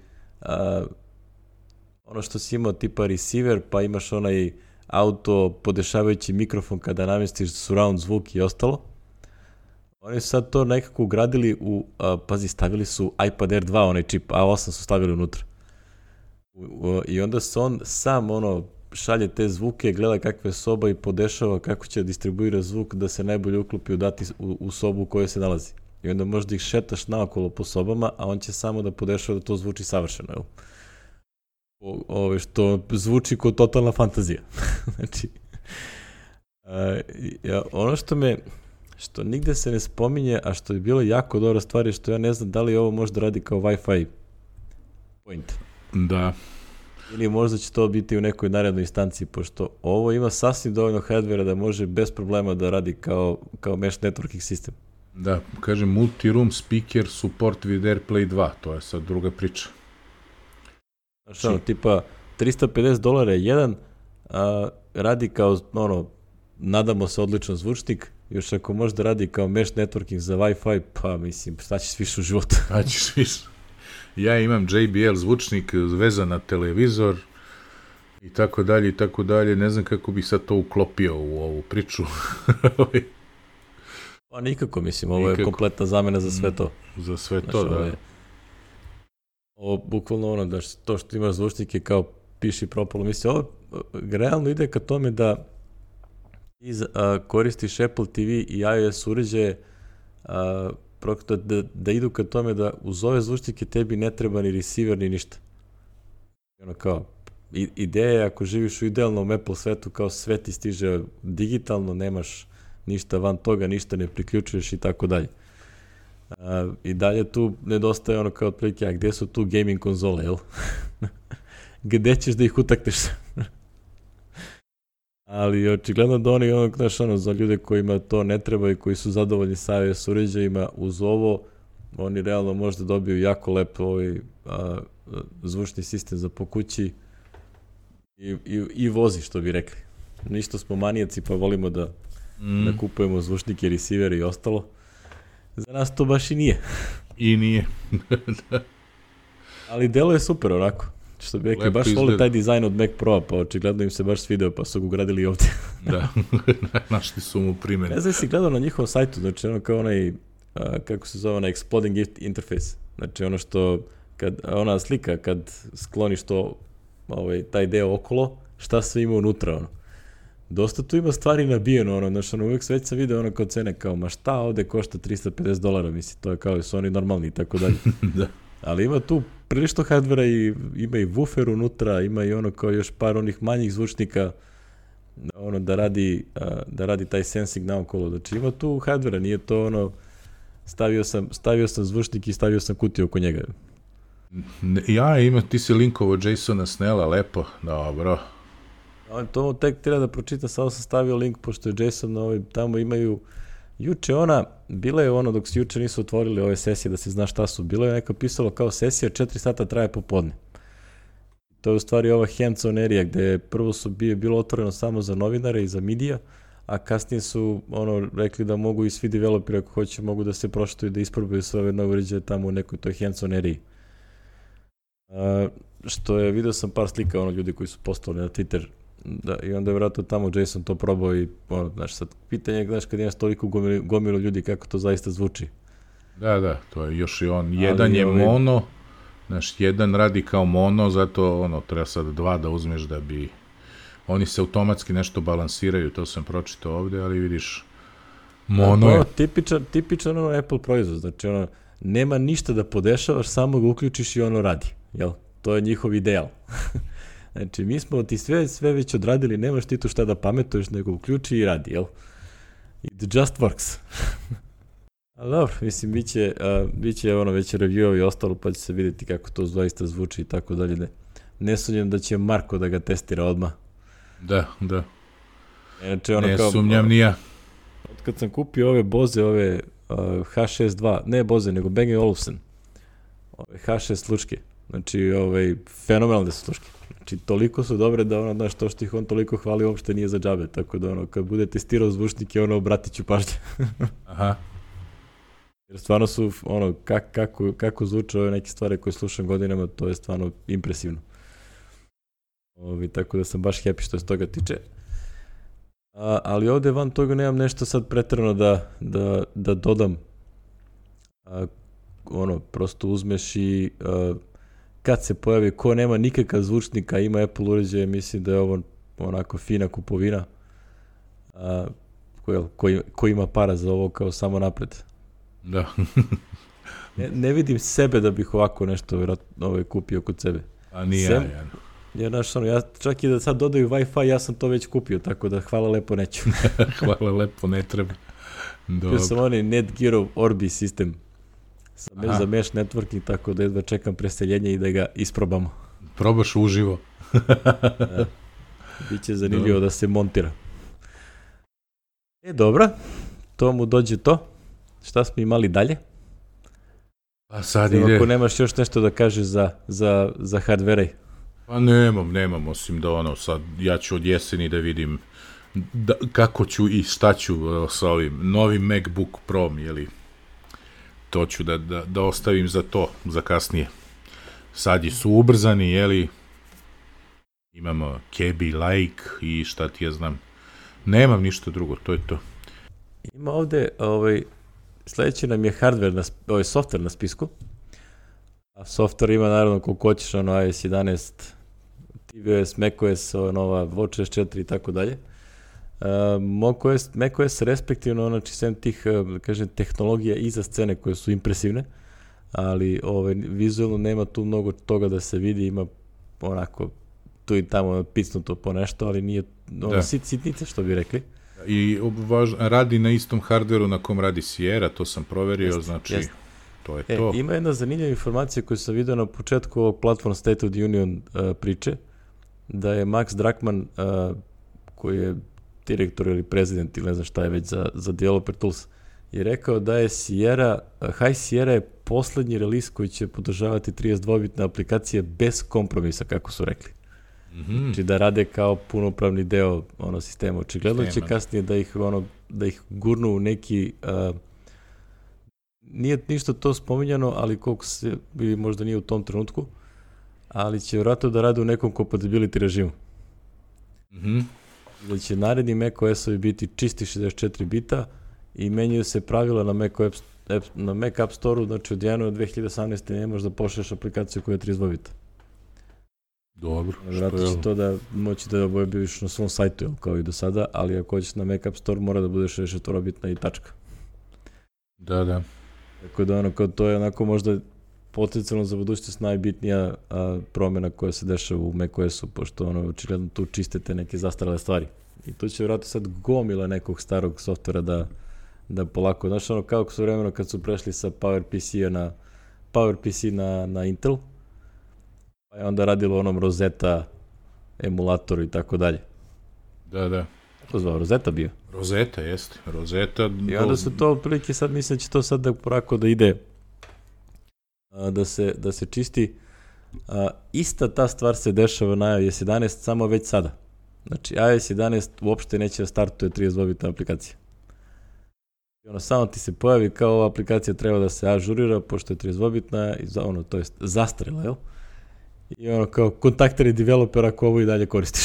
ono što si imao tipa receiver, pa imaš onaj auto podešavajući mikrofon kada namestiš surround zvuk i ostalo. Oni su sad to nekako ugradili pazi, stavili su iPad Air 2, onaj čip, A8 su stavili unutra. I onda se on sam šalje te zvuke, gleda kakva je soba i podešava kako će distribuirati zvuk da se najbolje uklopi u sobu u kojoj se nalazi. I onda možda ih šetaš naokolo po sobama, a on će samo da podešava da to zvuči savršeno. Što zvuči kao totalna fantazija. Znači, ono što nigde se ne spominje, a što je bilo jako dobra stvar je što ja ne znam da li ovo možda radi kao Wi-Fi point. Da. Ili možda će to biti u nekoj narednoj instanciji, pošto ovo ima sasvim dovoljno hardvera da može bez problema da radi kao mesh networking sistem. Da, kaže multi-room speaker support with AirPlay 2, to je sad druga priča. Znaš, tipa $350 je jedan, radi kao, nadamo se odličan zvučnik, još ako može da radi kao mesh networking za Wi-Fi, pa mislim, šta ćeš više u životu? Šta ćeš više? Ja imam JBL zvučnik vezan na televizor i tako dalje, ne znam kako bih sad to uklopio u ovu priču. Pa nikako, mislim, ovo je kompletna zamena za sve to. Za sve to, da. Ovo bukvalno da to što imaš zvučnik je kao piši propalo. Mislim, ovo realno ide ka tome da koristiš Apple TV i iOS uređaje da idu ka tome da uz ove zvučnike tebi ne treba ni receiver ni ništa. Ideja je ako živiš u idealnom Apple svetu, kao sve ti stiže digitalno, nemaš ništa van toga, ništa ne priključuješ i tako dalje. I dalje tu nedostaje kao otprilike, a gdje su tu gaming konzole, jel? Gde ćeš da ih utakneš? Ali očigledno da oni za ljude kojima to ne treba i koji su zadovoljni sa iOS uređajima, uz ovo oni realno možda dobiju jako lep zvučni sistem za po kući i vozi, što bi rekli. Ništa smo manijaci pa volimo da kupujemo zvučnike, receivere i ostalo. Za nas to baš i nije. I nije. Ali delo je super onako. Što bi rekli, baš voli taj dizajn od Mac Pro-a, pa očigledno im se baš svideo, pa su ga ugradili ovdje. Da, našli su mu primjer. Ne znam si gledao na njihovom sajtu, znači kao onaj kako se zove, exploding interface. Znači ono što, ona slika, kad skloniš to, taj deo okolo, šta sve ima unutra, ono. Dosta tu ima stvari nabijeno, znači uvijek već sam video ono kao cene, kao, ma šta ovde košta $350, misli, to je kao, su oni normalni i tako dalje. Da. Ali ima tu prilično hardvera i ima i woofer unutra, ima i ono kao još par onih manjih zvučnika, ono da radi taj sensing naokolo. Znači ima tu hardvera, nije to ono, stavio sam zvučnik i stavio sam kutiju oko njega. Ti si linkovo Jasona Snella, lepo, dobro. To tek treba da pročitam, samo sam stavio link, pošto je Jason, tamo imaju, bila je dok se juče nisu otvorili ove sesije, da se zna šta su, bilo je neka pisalo kao sesija, 4 sata traje popodne. To je u stvari ova hands-on area, gde prvo bilo otvoreno samo za novinare i za medija, a kasnije su rekli da mogu i svi developeri ako hoće, mogu da se proštuju, da isprobaju sve ove nove uređaje tamo u nekoj toj hands-on area. Što je, video sam par slika ljudi koji su postali na Twitter, i onda je vjerojatno tamo Jason to probao i sad pitanje, kad imaš toliko gomilu ljudi, kako to zaista zvuči. Da, to je još i on, jedan je mono, jedan radi kao mono, zato treba sad 2 da uzmeš da bi, oni se automatski nešto balansiraju, to sam pročitao ovde, ali vidiš, mono je. Tipičan Apple proizvod, znači nema ništa da podešavaš, samo ga uključiš i radi, jel? To je njihov ideal. Znači, mi smo ti sve već odradili, nemaš ti tu šta da pametuješ, nego uključi i radi, jel? It just works. Ali dobro, mislim, bit će već review i ostalo, pa će se vidjeti kako to zaista zvuči i tako dalje. Ne sumnjam da će Marko da ga testira odmah. Da. Inače, ne sumnjam ni ja. Kad sam kupio ove Bose, H6.2, ne Bose, nego Bang & Olufsen, H6 sluške, znači, fenomenalne su sluške. Znači, toliko su dobre da to što ih on toliko hvali uopšte nije za džabe, tako da kad bude testirao zvučnike, obratit ću pažnje. Aha. Jer stvarno su, kako zvuče ove neke stvari koje slušam godinama, to je stvarno impresivno. Tako da sam baš happy što se toga tiče. Ali ovde van toga nemam nešto sad preterano da dodam. Prosto uzmeš i kad se pojavi ko nema nikakav zvučnika, ima Apple uređaje, mislim da je ovo onako fina kupovina. Ko ima para za ovo kao samo napred. Da. ne vidim sebe da bih ovako nešto kupio kod sebe. A nije ja. Jer čak i da sad dodaju Wi-Fi, ja sam to već kupio, tako da hvala lepo neću. Hvala lepo, ne treba. Kupio sam Netgearov Orbi sistem za mesh networking, tako da jedva čekam preseljenje i da ga isprobamo. Probaš uživo. Biće zanimljivo da se montira. Dobro, to mu dođe to. Šta smo imali dalje? Pa sad ide. Ako nemaš još nešto da kažeš za hardware-aj. Pa nemam, osim da sad ja ću od jeseni da vidim kako ću i šta ću sa ovim novim MacBook Pro, jeli, to ću da ostavim za kasnije. Sad su ubrzani, jeli, imamo Kebi Like i šta ti ja znam. Nemam ništa drugo, to je to. Ima ovde, sledeći nam je hardware, software na spisku. A software ima naravno koliko hoćeš, iOS 11, tvOS, macOS, nova watchOS 4 i tako dalje. macOS respektivno, znači sem tih, kažem, tehnologija iza scene koje su impresivne, ali vizualno nema tu mnogo toga da se vidi, ima onako tu i tamo picnuto po nešto, ali nije sitnice, što bi rekli. I radi na istom hardveru na kom radi Sierra, to sam proverio, znači to je to. Ima jedna zanimljiva informacija koju sam vidio na početku ovog Platform State of the Union priče, da je Max Druckmann, koji je direktor ili prezident ili ne znam šta je već za Developer Tools, je rekao da je High Sierra je poslednji release koji će podržavati 32-bitne aplikacije bez kompromisa, kako su rekli. Znači da rade kao punopravni deo sistema. Očigledno će kasnije da ih gurnu u neki, nije ništa to spominjano, ali koliko se možda nije u tom trenutku, ali će vjerojatno da rade u nekom compatibility režimu. Da će naredni macOS-ovi biti čisti 64 bita i menjaju se pravila na na Mac App Store-u, znači od januara 2018. ne možeš da pošalješ aplikaciju koja je 32 bita. Dobro. Vratno će to da moći da objaviš na svom sajtu, kao i do sada, ali ako hoćeš na Mac App Store, mora da budeš 64 bitna i tačka. Da. Tako da kao to je onako možda potencijalno za budućnost najbitnija promjena koja se dešava u macOS-u, pošto očigledno tu čistite neke zastarale stvari. I tu će vjerojatno sad gomila nekog starog softvera da polako, znaš kao su vremeno kad su prešli sa PowerPC na Intel, pa je onda radilo onom Rosetta emulatoru i tako dalje. Da. Kako zvao, Rosetta bio? Rosetta, jeste. Rosetta. I onda su to prilike, sad mislim da će to sad da porako da ide, da se čisti. Ista ta stvar se dešava na iOS 11, samo već sada. Znači, iOS 11 uopšte neće da startuje 32-bitna aplikacija. I samo ti se pojavi kao ova aplikacija treba da se ažurira, pošto je 32-bitna, to jest zastrela, jel? I kao kontakteri developera ako ovo i dalje koristiš.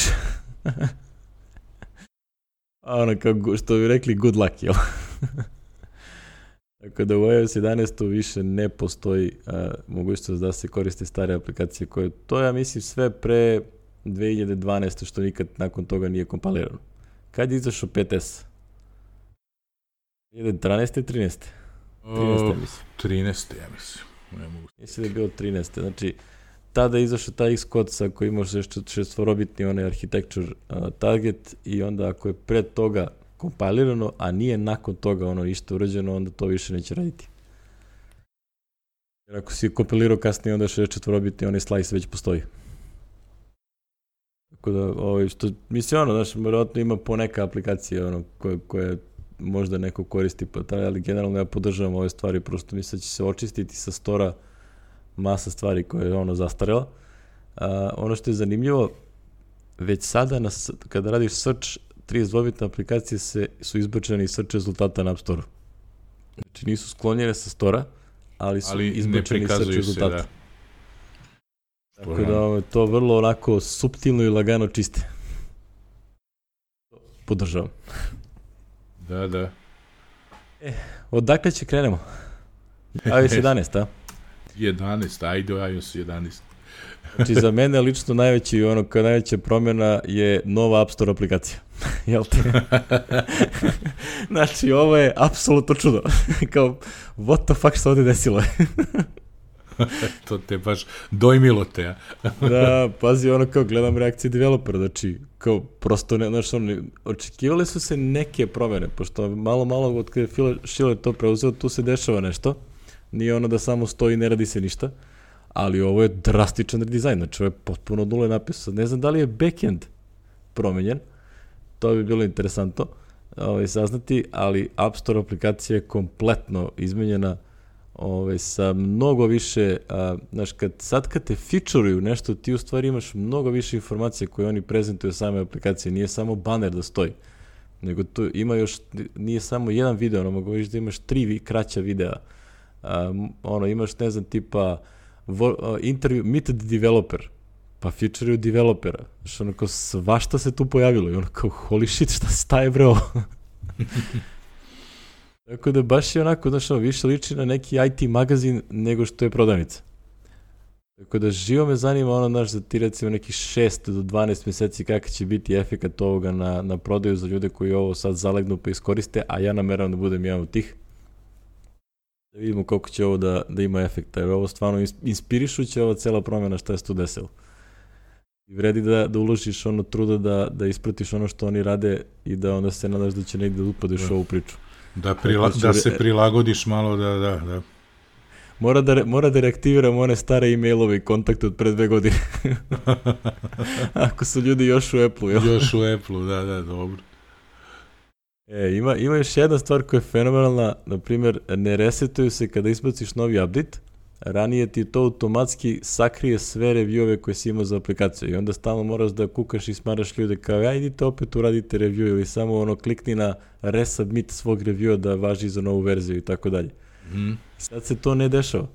Kao što bi rekli, good luck, jel? Tako da u iOS 11 više ne postoji mogućnost da se koriste stare aplikacije koje, to ja mislim sve pre 2012. što nikad nakon toga nije kompilirano. Kad je izašao 5S? 2012. 13. 13. mislim. 13. ja mislim. Mislim da je bilo 13. Znači, tada je izašao taj Xcode sa koji imaš šestvorobitni onaj architecture target i onda ako je pred toga kompilirano, a nije nakon toga ništa urađeno, onda to više neće raditi. Jer ako si kompilirao kasnije, onda 64-bitni onaj slice već postoji. Tako da, što, mislim, vjerojatno ima poneka aplikacija koje možda neko koristi, ali generalno ja podržavam ove stvari, prosto mislim da će se očistiti sa stora masa stvari koje je zastarela. Ono što je zanimljivo, već sada kada radiš search, 32-bitne aplikacije su izbačene iz search rezultata na App Store. Znači nisu sklonjene sa stora, ali su izbačene iz search rezultata. Tako da to vrlo onako suptilno i lagano čiste. Podržavam. Da. Odakle će krenemo? iOS 11, a? 11, ajde iOS 11. Znači za mene lično najveća promjena je nova App Store aplikacija. Jel te? Znači ovo je apsolutno čudo. Kao, what the fuck što ovdje desilo? To te baš dojmilo te, ja. Da, pazi, kao gledam reakcije developera, znači, kao, prosto, očekivali su se neke promjene, pošto malo od kada je Phil Schiller to preuzeo, tu se dešava nešto, nije da samo stoji i ne radi se ništa, ali ovo je drastičan redizajn, znači ovo je potpuno od nule napisao. Ne znam da li je backend promenjen, to bi bilo interesantno saznati, ali App Store aplikacija je kompletno izmenjena, sa mnogo više, kad te featureuju nešto, ti u stvari imaš mnogo više informacije koje oni prezentuju same aplikacije, nije samo banner da stoji, nego tu ima još, nije samo jedan video, mogu viš da imaš 3 kraća videa, imaš, ne znam, tipa interview, meet the developer, pa featureuju developera, kao svašta se tu pojavilo i kao holy shit, šta je bre ovo? Tako da baš je više liči na neki IT magazin nego što je prodavnica. Tako da živo me zanima za ti recimo nekih 6 do 12 mjeseci kakav će biti efekat ovoga na prodaju za ljude koji ovo sad zalegnu pa iskoriste, a ja nameravam da budem jedan od tih. Da vidimo koliko će ovo da ima efekta, jer ovo stvarno inspirišuće ova cela promjena šta je se tu desilo. I vredi da uložiš truda da ispratiš ono što oni rade i da onda se nadaš da će negdje da upadiš ovu priču. Da se prilagodiš malo, da. Mora da reaktiviram one stare e-mailove i kontakte od pre 2 godine. Ako su ljudi još u Apple-u. Još u Apple-u, da, dobro. Ima još jedna stvar koja je fenomenalna, na primjer, ne resetuju se kada izbaciš novi update, ranije ti to automatski sakrije sve reviewove koje si imao za aplikaciju i onda stalno moraš da kukaš i smaraš ljude kao idite opet uradite review ili samo klikni na resubmit svog reviewa da važi za novu verziju i tako dalje. Sad se to ne dešava.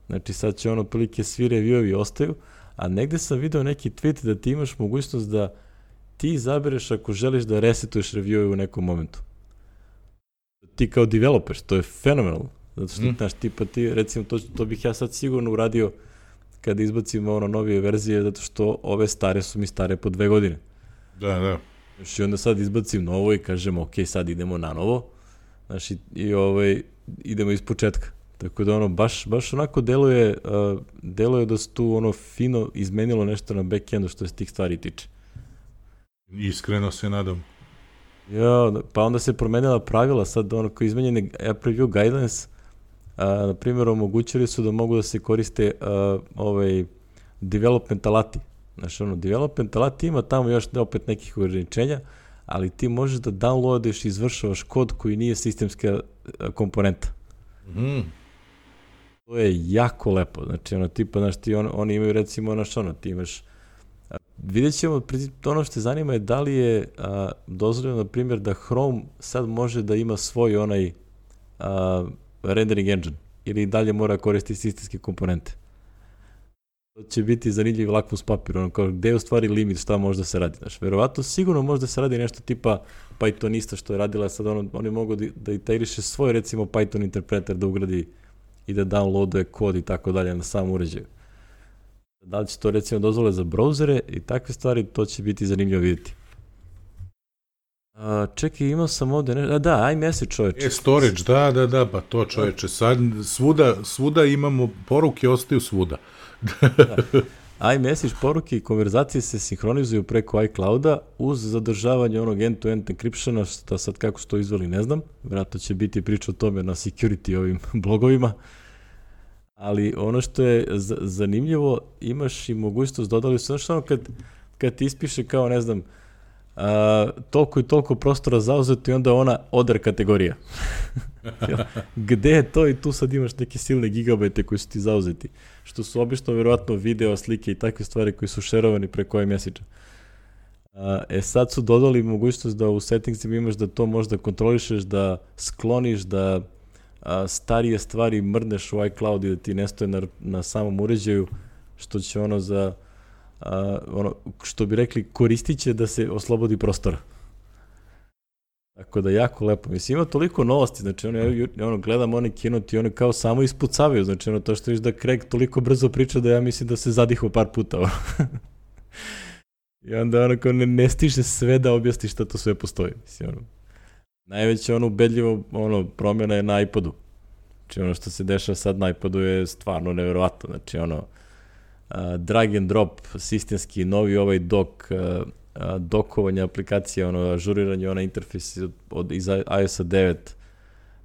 Znači sad će otprilike svi reviewovi ostaju, a negde sam video neki tweet da ti imaš mogućnost da ti izabereš ako želiš da resetuješ reviewove u nekom momentu. Ti kao developer, to je fenomenalno. Zato što, znaš, tipa ti, recimo, to bih ja sad sigurno uradio kada izbacimo ono novije verzije, zato što ove stare su mi stare po 2 godine. Da. Znaš, i onda sad izbacim novo i kažemo, ok, sad idemo na novo, znaš, i idemo iz početka. Tako da ono, baš onako deluje da se tu ono fino izmenilo nešto na backendu što se tih stvari tiče. Iskreno se nadam. Ja, pa onda se promenila pravila, sad ono koji izmenjene App Review Guidelines, na primjer, omogućili su da mogu da se koriste development alati. Znači, ono, development alati ima tamo još opet nekih ograničenja, ali ti možeš da downloadeš i izvršavaš kod koji nije sistemska komponenta. To je jako lepo. Znači, ono, tipa, znaš, oni imaju, recimo, ono, ti imaš, vidjet ćemo, ono što te zanima je da li je dozvoljeno, na primjer, da Chrome sad može da ima svoj onaj rendering engine, ili dalje mora koristiti sistemske komponente. To će biti zanimljiv lakmus papir, ono kao gde je u stvari limit, šta može da se radi. Znaš, verovatno sigurno može da se radi nešto tipa Pythonista što je radila, sad oni mogu da integriše svoj, recimo, Python interpreter da ugradi i da downloaduje kod i tako dalje na sam uređaju. Da li će to, recimo, dozvole za brauzere i takve stvari, to će biti zanimljivo vidjeti. Čekaj, imao sam ovde nešto, da, iMessage, čoveče. Storage, da, pa to, čoveče, sad svuda imamo, poruke ostaju svuda. iMessage poruke i konverzacije se sinhronizuju preko iClouda uz zadržavanje onog end-to-end encryptiona, što sad kako su to izveli ne znam, vjerojatno će biti priča o tome na security ovim blogovima, ali ono što je zanimljivo, imaš i mogućnost, dodali su, znaš ono kad ti ispiše kao, ne znam, toliko i toliko prostora zauzeto i onda ona other kategorija. Gde je to i tu sad imaš neke silne gigabajte koji su ti zauzeti, što su obično vjerovatno video, slike i takve stvari koji su šerovani preko iMessage-a. Sad su dodali mogućnost da u settingsima imaš da to možda kontrolišeš, da skloniš, da starije stvari mrneš u iCloud i da ti ne stoje na samom uređaju, što će ono za što bi rekli, koristit će da se oslobodi prostora. Tako da jako lepo. Mislim, ima toliko novosti, znači gledam one keynote i one kao samo ispucavaju, znači to što viš da Craig toliko brzo priča da ja mislim da se zadihao par puta. I onda kao ne stiže sve da objasni šta to sve postoji. Mislim, najveće ubedljivo promjena je na iPodu. Znači ono što se dešava sad na iPodu je stvarno nevjerovatno, znači drag and drop, sistemski, novi ovaj dokovanje aplikacije, ažuriranje, interfejs iz iOS-a 9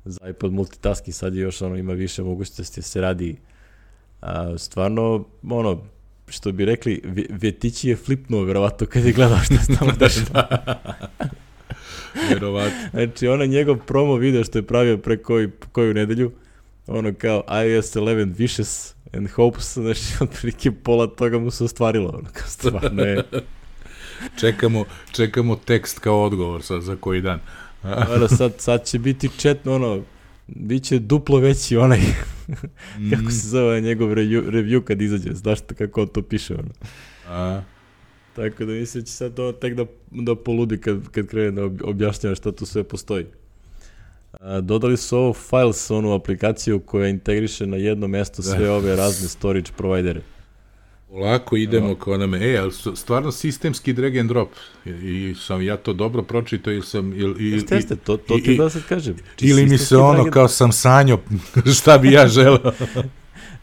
za iPod multitasking, sad je još ima više mogućnosti da se radi. Stvarno, što bi rekli, Vjetići je flipnuo, verovatno, kad je gledao što se tamo dešava. Verovatno. Znači, njegov promo video što je pravio pre koju nedelju, kao iOS 11 wishes and hopes, znači, otprilike pola toga mu se ostvarilo, kao stvarno je. Čekamo tekst kao odgovor za koji dan. Sad će biti bit će duplo veći kako se zove njegov review kad izađe, znaš kako on to piše, Tako da mislim će sad to tek da poludi kad krene da objašnjava šta tu sve postoji. Dodali su ovo Files, onu aplikaciju koja integriše na jedno mesto sve ove razne storage providere. Polako idemo kao nam, ali stvarno sistemski drag and drop, i sam ja to dobro pročitao ili sam... Jeste, to ti da sad kažem. Ili mi se kao sam sanjao šta bi ja želeo.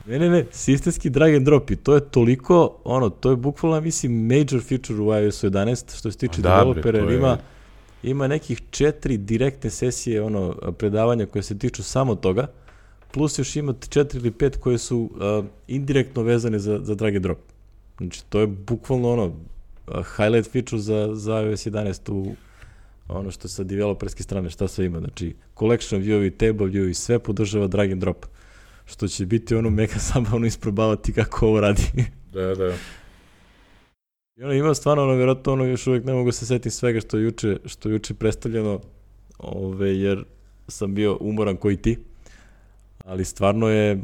Ne, sistemski drag and drop i to je toliko, to je bukvalno, mislim, major feature u iOS 11, što se tiče developera, jer ima nekih 4 direktne sesije, predavanja koje se tiču samo toga, plus još ima 4 ili 5 koje su indirektno vezane za drag and drop. Znači, to je bukvalno highlight feature za iOS 11 u što sa developerske strane, šta sve ima. Znači, collection view-ovi, table view i sve podržava drag and drop. Što će biti mega zabavno isprobavati kako ovo radi. Da. I ima stvarno, vjerojatno, još uvijek ne mogu se setiti svega što je juče predstavljeno, jer sam bio umoran koji ti. Ali stvarno je,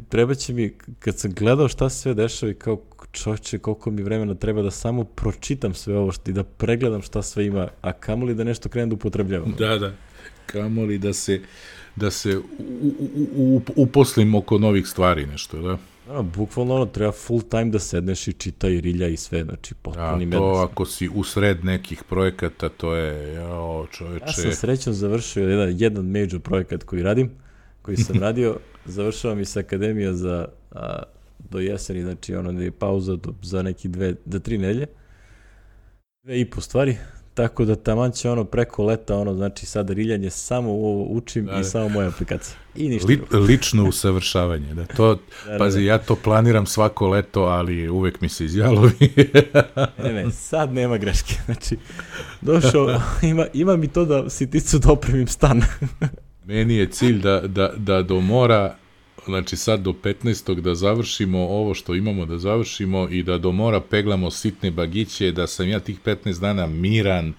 treba će mi, kad sam gledao šta se sve dešava i kao čovječe, koliko mi vremena treba da samo pročitam sve ovo i da pregledam šta sve ima, a kamoli da nešto krenem da upotrebljavam. Da, kamoli da se uposlim oko novih stvari, nešto, da? Bukvalno treba full time da sedneš i čita i rilja i sve, znači potpuni mednes. To ako si usred nekih projekata, to je, čoveče... Ja sam srećno završio jedan major projekat koji sam radio, završavam i sa akademija do jeseni, znači ono je pauza za neki 3 nedelje, 2,5 stvari, tako da taman će preko leta, znači sada riljanje samo ovo učim i samo moja aplikacija. I ništa lično usavršavanje, da. Pazi, ja to planiram svako leto, ali uvek mi se izjalovi. Ne, sad nema greške, znači došao, ima mi to da siticu da opremim stan. Meni je cilj da do mora, znači sad do 15. da završimo ovo što imamo da završimo i da do mora peglamo sitne bagiće, da sam ja tih 15 dana miran,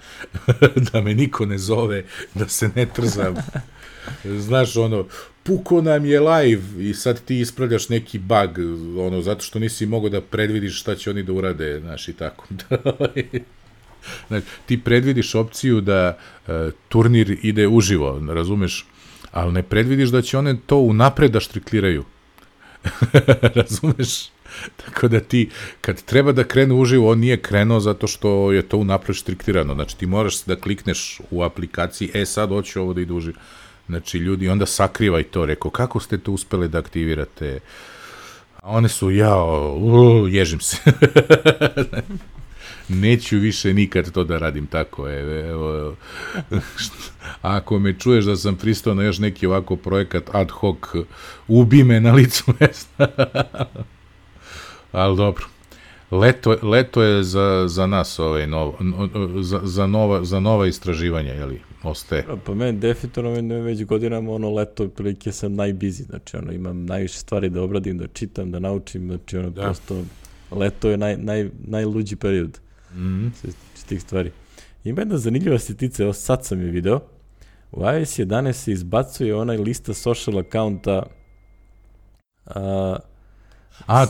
da me niko ne zove, da se ne trzam. Znaš, puko nam je live i sad ti ispravljaš neki bug, zato što nisi mogao da predvidiš šta će oni da urade, znaš, i tako. Znači, ti predvidiš opciju da turnir ide uživo, razumeš? Ali ne predvidiš da će one to unapred da štrikliraju. Razumeš? Tako da ti, kad treba da krene uživo, on nije krenuo zato što je to unapred štriklirano. Znači, ti moraš da klikneš u aplikaciji, sad hoću ovo da ide uživo. Znači, ljudi, onda sakrivaj to. Rekao, kako ste to uspeli da aktivirate? A one su, ježim se. Neću više nikad to da radim tako. Evo, ako me čuješ da sam pristao na još neki ovako projekat ad hoc, ubi me na licu mesta. Ali dobro. Leto je za nas za nova istraživanja, jeli, ostaje. Pa meni definitivno već godinama leto prilike sam najbizi, znači imam najviše stvari da obradim, da čitam, da naučim, znači prosto leto je najluđi period s tih stvari. Ima jedna zanimljiva sitica, evo sad sam je video, u iOS 11 se izbacuje onaj lista social accounta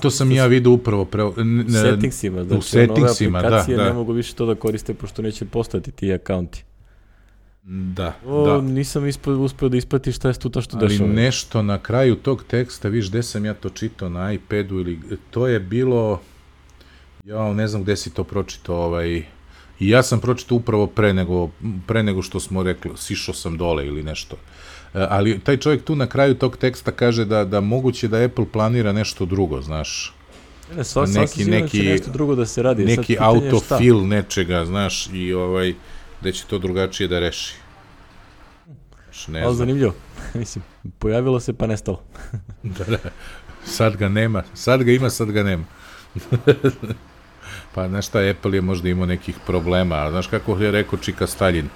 to sam ja vidio upravo u settingsima, znači nove aplikacije ne mogu više to da koriste pošto neće postati ti akaunti. Da. Nisam uspeo da isprati šta je tu što dešava. Ali nešto na kraju tog teksta, viš gde sam ja to čitao na iPadu ili to je bilo, ne znam gde si to pročitao, i ja sam pročitao upravo pre nego što smo rekli, sišao sam dole ili nešto. Ali taj čovjek tu na kraju tog teksta kaže da moguće da Apple planira nešto drugo, znaš. Neki nešto drugo da se radi. Neki autofill nečega, znaš, i da će to drugačije da reši. Ali zanimljivo. Mislim, pojavilo se pa nestalo. Da. Sad ga nema. Sad ga ima, sad ga nema. Pa, znaš šta, Apple je možda imao nekih problema. Znaš kako je rekao Čika Staljin?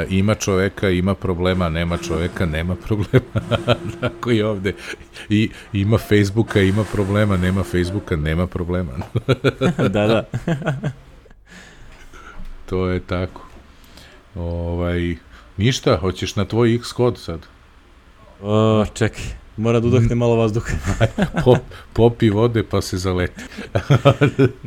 Ima čoveka, ima problema, nema čoveka, nema problema. Tako i ovde. I ima Facebooka, ima problema, nema Facebooka, nema problema. Da. To je tako. Ništa, hoćeš na tvoj Xcode sad? Čekaj, mora da udahne malo vazduha. Popi vode pa se zaleti.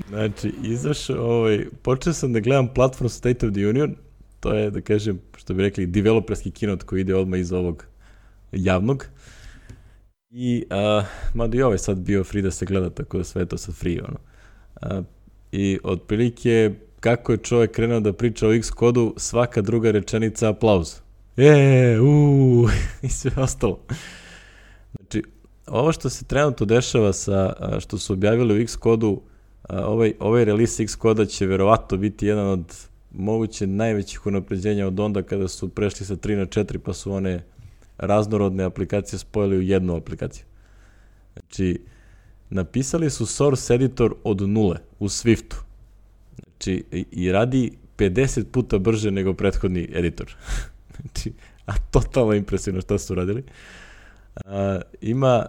Znači, izašao, počeo sam da gledam platform State of the Union, to je, da kažem, što bi rekli, developerski keynote koji ide odmah iz ovog javnog. I, mada i ovaj sad bio free da se gleda, tako da sve je to sad free, I otprilike, kako je čovjek krenuo da priča o Xcode-u, svaka druga rečenica aplauz. I sve ostalo. Znači, ovo što se trenutno dešava što su objavili u Xcode-u, ovaj release Xcode-a će verovatno biti jedan od moguće najvećih unapređenja od onda kada su prešli sa 3 na 4 pa su one raznorodne aplikacije spojili u jednu aplikaciju. Znači, napisali su source editor od nule u Swiftu. Znači, i radi 50 puta brže nego prethodni editor. Znači, totalno impresivno šta su radili. Ima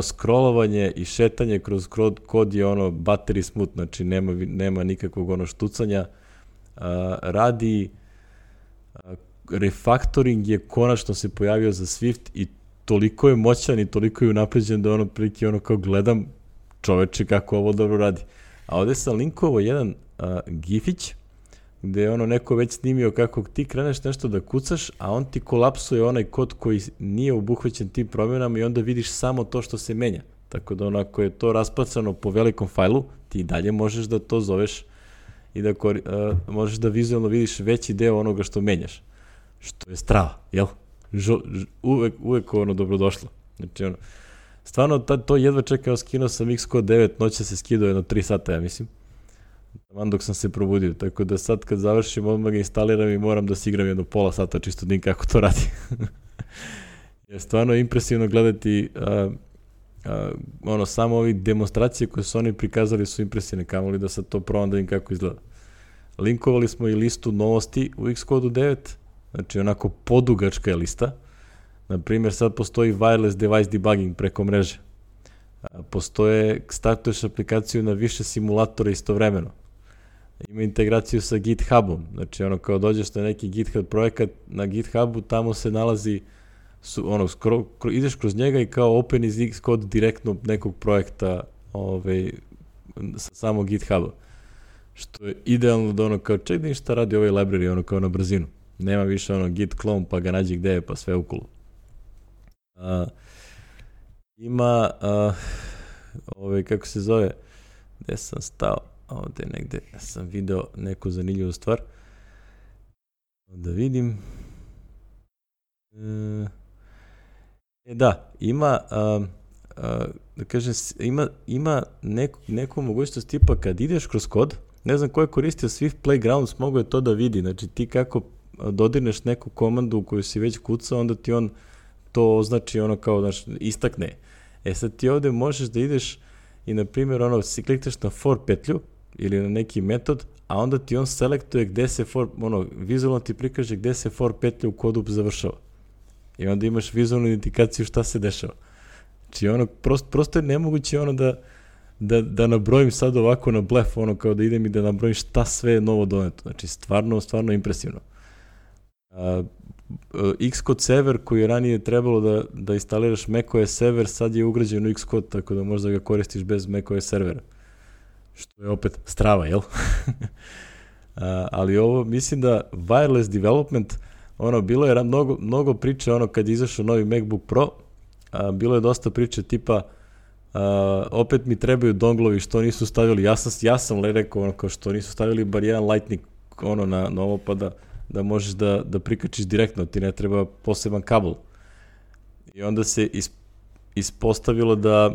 scrollovanje i šetanje kroz kod je battery smooth, znači nema nikakvog štucanja. Radi refactoring je konačno se pojavio za Swift i toliko je moćan i toliko je unapređen da prilike kao gledam čoveče kako ovo dobro radi. A ovde sam linkovao jedan gifić gde je ono neko već snimio kako ti kreneš nešto da kucaš, a on ti kolapsuje onaj kod koji nije obuhvaćen tim promjenama i onda vidiš samo to što se menja. Tako da onako je to raspacano po velikom fajlu, ti dalje možeš da to zoveš i da možeš da vizualno vidiš veći deo onoga što menjaš. Što je strava, jel? Uvek ono dobrodošlo. Znači ono, stvarno to jedva čekao, skinuo sam Xcode 9, noća se skidao jedno 3 sata, ja mislim. Taman dok sam se probudio, tako da sad kad završim odmah ga instaliram i moram da se igram jedno pola sata čisto da kako to radi. Je stvarno impresivno gledati samo ovi demonstracije koje su oni prikazali su impresivne, kamoli da sad to probam da vidim kako izgleda. Linkovali smo i listu novosti u Xcode 9, znači onako podugačka je lista. Naprimjer, sad postoji wireless device debugging preko mreže. Startuješ aplikaciju na više simulatora istovremeno. Ima integraciju sa GitHubom, znači ono kao dođeš na neki GitHub projekat, na GitHubu tamo se nalazi, ideš kroz njega i kao open iz Xcode direktno nekog projekta sa samog GitHuba. Što je idealno da ono kao čekaj šta radi ovaj library, ono kao na brzinu. Nema više ono git clone pa ga nađi gde je pa sve ukolo. Ima kako se zove, gde sam stao, ovde negde sam video neku zanimljivu stvar, da vidim, ima da kažem, ima neku mogućnost tipa kad ideš kroz kod, ne znam ko je koristio Swift Playgrounds, mogo je to da vidi, znači ti kako dodirneš neku komandu koju si već kucao, onda ti on to označi ono kao, znaš, istakne. Sad ti ovde možeš da ideš i, na primjer, klikneš na for petlju ili na neki metod, a onda ti on selektuje gde se vizualno ti prikaže gde se for petlja u kodu završava. I onda imaš vizualnu indikaciju šta se dešava. Znači, prosto je nemoguće da nabrojim sad ovako na blef, kao da idem i da nabrojim šta sve je novo doneto. Znači, stvarno impresivno. Xcode server koji je ranije trebalo da instaliraš macOS server, sad je ugrađen u Xcode, tako da možda ga koristiš bez macOS servera. Što je opet strava, jel? Ali ovo, mislim da wireless development, bilo je mnogo priče, kad je izašao novi MacBook Pro, bilo je dosta priče tipa opet mi trebaju donglovi što nisu stavili, ja sam rekao kao što nisu stavili bar jedan Lightning na ovo pa da možeš da prikačiš direktno, ti ne treba poseban kabel. I onda se ispostavilo da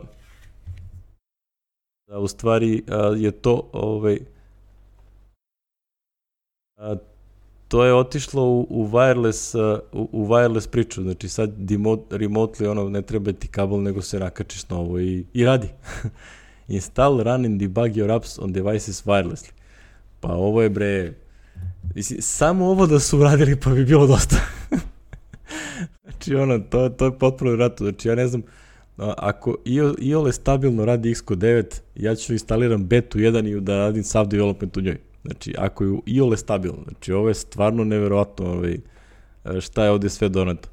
u stvari je to to je otišlo u wireless priču, znači sad remotely ne treba ti kabel nego se nakačiš na ovo i radi. Install, run and debug your apps on devices wirelessly. Pa ovo je bre, samo ovo da su uradili pa bi bilo dosta. Znači to je potpuno vratno, znači ja ne znam, ako iole stabilno radi Xcode 9, ja ću instaliram betu 1 i da radim sav development u njoj. Znači, ako je iole stabilno, znači ovo je stvarno neverovatno šta je ovde sve doneto.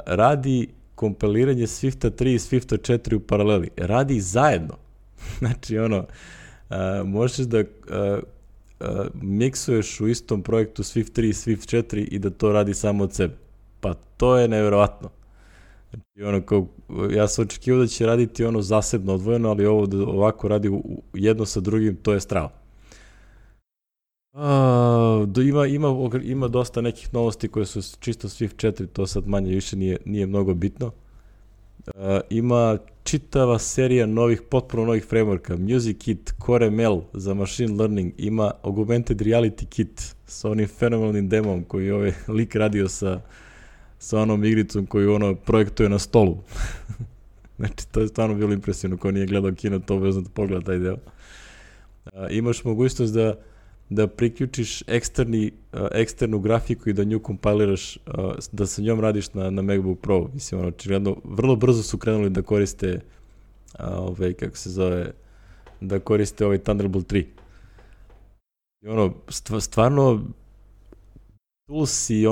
Radi kompiliranje Swifta 3 i Swifta 4 u paraleli. Radi zajedno. Znači, možeš da miksuješ u istom projektu Swift 3 i Swift 4 i da to radi samo od sebe. Pa to je neverovatno. Znači, ja sam očekivao da će raditi zasebno odvojeno, ali ovo da ovako radi jedno sa drugim, to je strava. Ima dosta nekih novosti koje su čisto Swift 4, to sad manje više nije mnogo bitno. Ima čitava serija potpuno novih frameworka, Music Kit, Core ML za machine learning, ima Augmented Reality Kit sa onim fenomenalnim demom koji je lik radio sa onom igricom koju projektuje na stolu. Znači, to je stvarno bilo impresivno, ko nije gledao kino, to vezno da pogleda taj deo. Imaš mogućnost da priključiš eksternu grafiku i da nju kompiliraš, da sa njom radiš na MacBook Pro. Mislim, očigledno, vrlo brzo su krenuli da koriste kako se zove, da koriste Thunderbolt 3. I stvarno tools i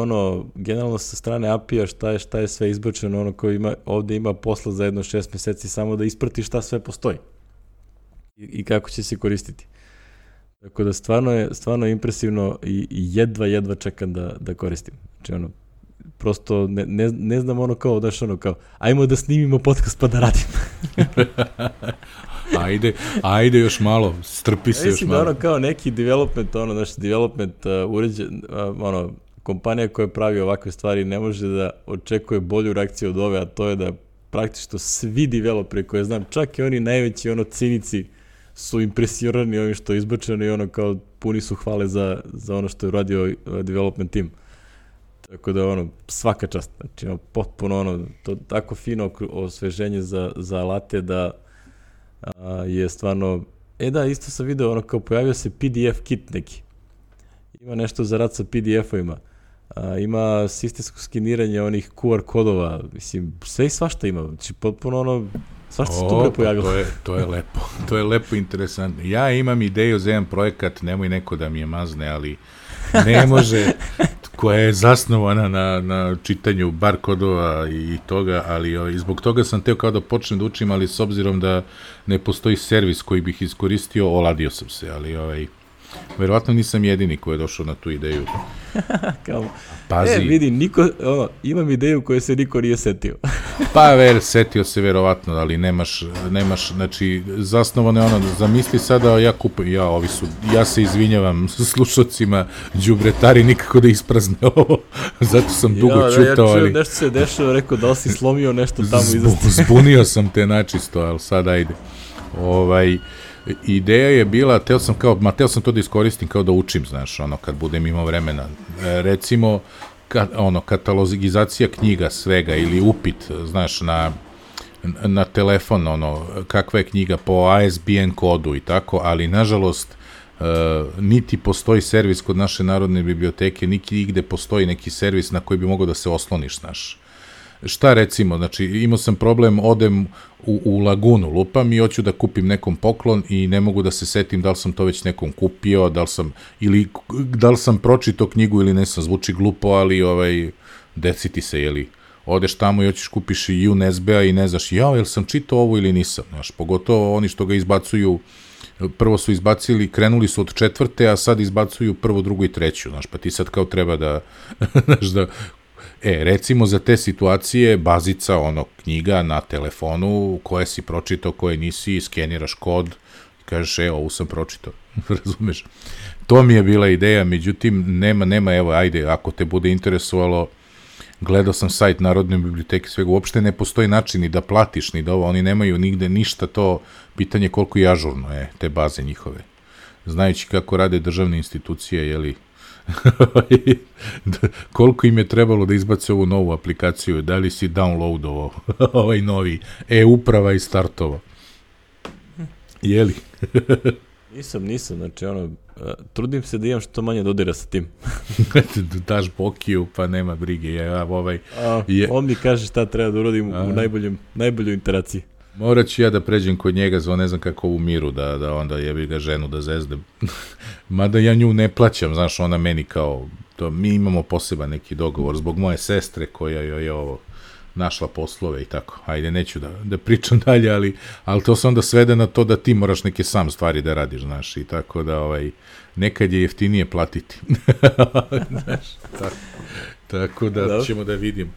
generalno sa strane API-a šta je sve izbačeno, koji ovde ima posla za jedno 6 meseci samo da isprati šta sve postoji i kako će se koristiti. Tako da stvarno je impresivno i jedva čekam da koristim. Znači ono, prosto ne znam ono kao, daš ono kao, ajmo da snimimo podcast pa da radim. Ajde još malo, strpi se još malo. Da ono kao neki development uređen, kompanija koja pravi ovakve stvari ne može da očekuje bolju reakciju od ove, a to je da praktično svi developeri koje znam, čak i oni najveći cinici, su impresirani ovim što je izbačeno i ono kao puni su hvale za ono što je uradio development team. Tako da svaka čast. Znači potpuno to tako fino osveženje za alate da je stvarno... Da, isto sam video kao pojavio se PDF kit neki. Ima nešto za rad sa PDF-ovima. Ima sistemsko skeniranje onih QR kodova. Mislim, sve i svašta ima. Znači potpuno svašta se tu bre pojavilo. To je lepo interesantno. Ja imam ideju za jedan projekat, nemoj neko da mi je mazne, ali ne može, koja je zasnovana na čitanju bar kodova i toga, ali zbog toga sam teo kao da počnem da učim, ali s obzirom da ne postoji servis koji bih iskoristio, oladio sam se, ali verovatno nisam jedini koji je došao na tu ideju. Pazi. Vidi, imam ideju koju se niko nije setio. Setio se verovatno, ali nemaš, znači, zasnovano je zamisli sada, ja se izvinjavam slušacima, đubretari nikako da isprazne ovo, zato sam dugo čutao, ali... Ja čujem nešto se dešava, rekao da li si slomio nešto tamo iza. Zbunio sam te načisto, ali sad ajde. Ideja je bila, teo sam to da iskoristim kao da učim, znaš, kad budem imao vremena. Recimo, katalogizacija knjiga svega ili upit, znaš, na telefon, kakva je knjiga po ISBN kodu i tako, ali nažalost niti postoji servis kod naše Narodne biblioteke, niti igde postoji neki servis na koji bi mogao da se osloniš, znaš. Šta recimo, znači imao sam problem, odem u Lagunu, lupam i hoću da kupim nekom poklon i ne mogu da se setim da li sam to već nekom kupio, da li sam pročitao knjigu ili ne sam, zvuči glupo, ali desi ti se, jeli, odeš tamo i hoćeš kupiš i USB-a i ne znaš, jel sam čitao ovo ili nisam, znaš, pogotovo oni što ga izbacuju, prvo su krenuli su od 4, a sad izbacuju 1, 2 i 3, znaš, pa ti sad kao treba da, znaš, da recimo za te situacije bazica knjiga na telefonu koje si pročitao, koje nisi, skeniraš kod i kažeš ovu sam pročitao, razumeš? To mi je bila ideja, međutim nema, evo ajde, ako te bude interesovalo, gledao sam sajt Narodne biblioteke, svega, uopšte ne postoji način ni da platiš, ni da ovo, oni nemaju nigde ništa, to pitanje koliko je ažurno te baze njihove. Znajući kako rade državne institucije, jeli, koliko im je trebalo da izbace ovu novu aplikaciju, da li si downloadovao ovaj novi e-uprava i startovao, jeli? Nisam, znači trudim se da imam što manje dodira sa tim. Daš Bokiju, pa nema brige. On mi kaže šta treba da uradim u najboljoj interaciji. Morat ću ja da pređem kod njega za ne znam kako u miru, da onda jebi ga ženu da zezdem. Mada ja nju ne plaćam, znaš, ona meni kao, mi imamo poseban neki dogovor zbog moje sestre koja joj je ovo našla poslove i tako. Ajde, neću da pričam dalje, ali to se onda svede na to da ti moraš neke sam stvari da radiš, znaš, i tako da nekad je jeftinije platiti. Znaš, tako da ćemo da vidimo.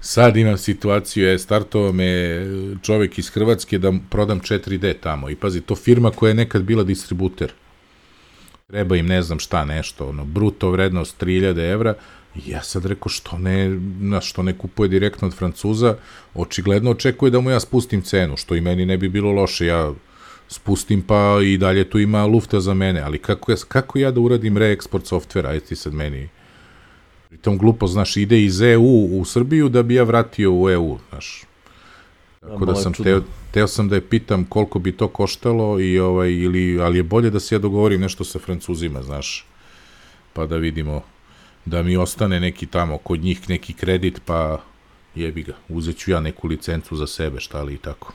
Sad imam situaciju, startovao me čovek iz Hrvatske da prodam 4D tamo i pazi, to firma koja je nekad bila distributer. Treba im ne znam šta nešto, bruto vrednost 3000 evra i ja sad rekao što ne kupuje direktno od Francuza, očigledno očekuje da mu ja spustim cenu, što i meni ne bi bilo loše, ja spustim pa i dalje tu ima lufta za mene, ali kako ja da uradim reeksport softvera, ajde ti sad meni... Pritom glupo, znaš, ide iz EU u Srbiju da bi ja vratio u EU, znaš. Tako da sam teo sam da je pitam koliko bi to koštalo ali je bolje da se ja dogovorim nešto sa Francuzima, znaš, pa da vidimo, da mi ostane neki tamo kod njih neki kredit, pa jebi ga, uzet ću ja neku licencu za sebe, šta li i tako.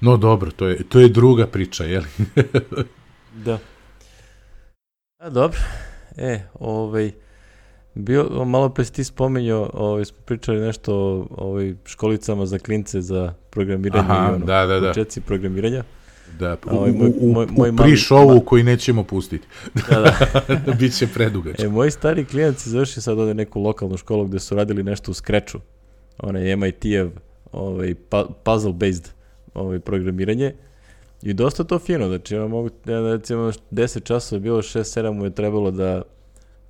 No dobro, to je druga priča, jel? Da. Dobro. Malo pre si ti spominjao, smo pričali nešto o školicama za klince za programiranje i početci programiranja. Da, moj u pre-showu koji nećemo pustiti. Da. Biće predugačko. Moji stari klijenti završi sad ovde neku lokalnu školu gde su radili nešto u Scratchu. Onaj MIT-ev puzzle-based programiranje. I dosta to fino, znači recimo 10 časova je bilo, 6-7 mu je trebalo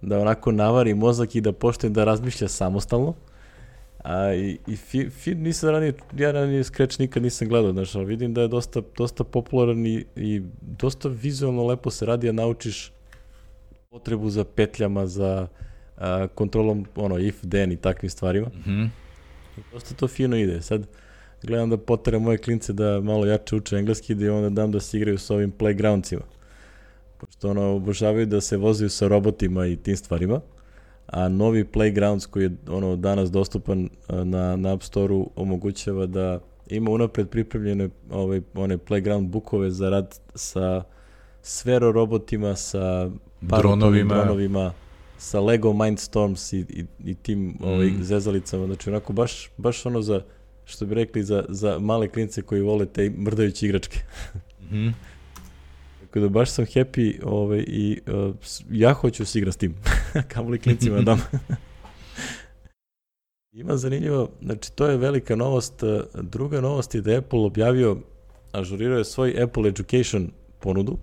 da onako navari mozak i da počne da razmišlja samostalno. Nisam ranije Scratch nikad nisam gledao, znači, ali vidim da je dosta popularan i dosta vizualno lepo se radi, a naučiš potrebu za petljama, za kontrolom if, then i takvim stvarima. Dosta to fino ide. Sad gledam da poteram moje klince da malo jače uče engleski, da onda dam da se igraju s ovim playgroundsima. Pošto obožavaju da se vozaju sa robotima i tim stvarima. A novi Playgrounds koji je danas dostupan na App Store-u omogućava da ima unapred pripremljene one Playground bookove za rad sa sfero robotima, sa dronovima, sa Lego Mindstorms i tim zezalicama. Znači onako baš ono za, što bi rekli, za male klince koji vole te mrdajuće igračke. Tako da baš sam happy i ja hoću se igram s tim. Kamoli klincima dam. Ima zanimljivo, znači to je velika novost. Druga novost je da je Apple objavio, ažurirao je svoj Apple Education ponudu,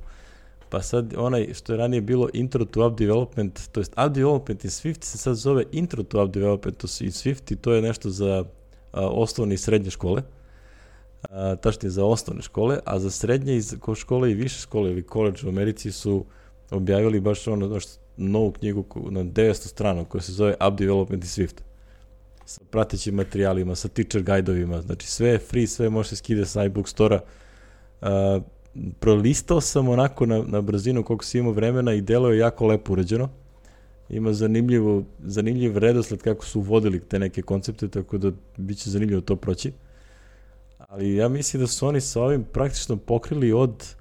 pa sad onaj što je ranije bilo Intro to App Development, to jest App Development in Swift se sad zove Intro to App Development in Swift i to je nešto za osnovne i srednje škole. Tačnije za osnovne škole, a za srednje škole i više škole ili college u Americi su objavili baš novu knjigu na 900 strana koja se zove App Development in Swift. Sa pratećim materijalima, sa teacher guide-ovima, znači sve je free, sve može se skide sa iBook Store-a. Prolistao sam onako na brzinu koliko si imao vremena i delo je jako lepo urađeno. Ima zanimljiv redosled kako su uvodili te neke koncepte, tako da bit će zanimljivo to proći. Ali ja mislim da su oni sa ovim praktično pokrili od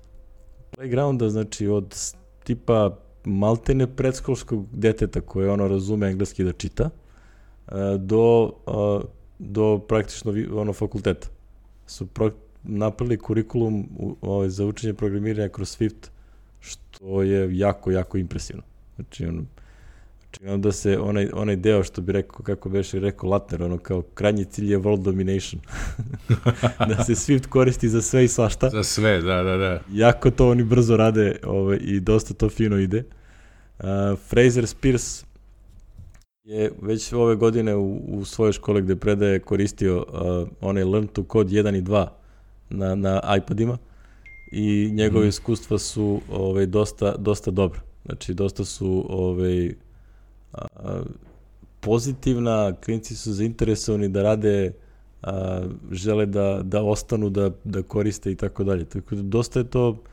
playgrounda, znači od tipa maltene predškolskog deteta koje razume engleski da čita, do praktično fakulteta. Su napravili kurikulum za učenje programiranja kroz Swift, što je jako, jako impresivno. Znači, da se onaj deo što bi rekao, kako bi rekao Latner, kao krajnji cilj je world domination. Da se Swift koristi za sve i svašta. Za sve, da. Jako to oni brzo rade i dosta to fino ide. Fraser Spears je već ove godine u svojoj školi gde predaje koristio onaj Learn to Code 1 i 2 na iPadima i njegove iskustva su dosta dobra. Znači, dosta su pozitivna, klinci su zainteresovani da rade, žele da ostanu, da koriste i tako dalje. Tako da dosta je to,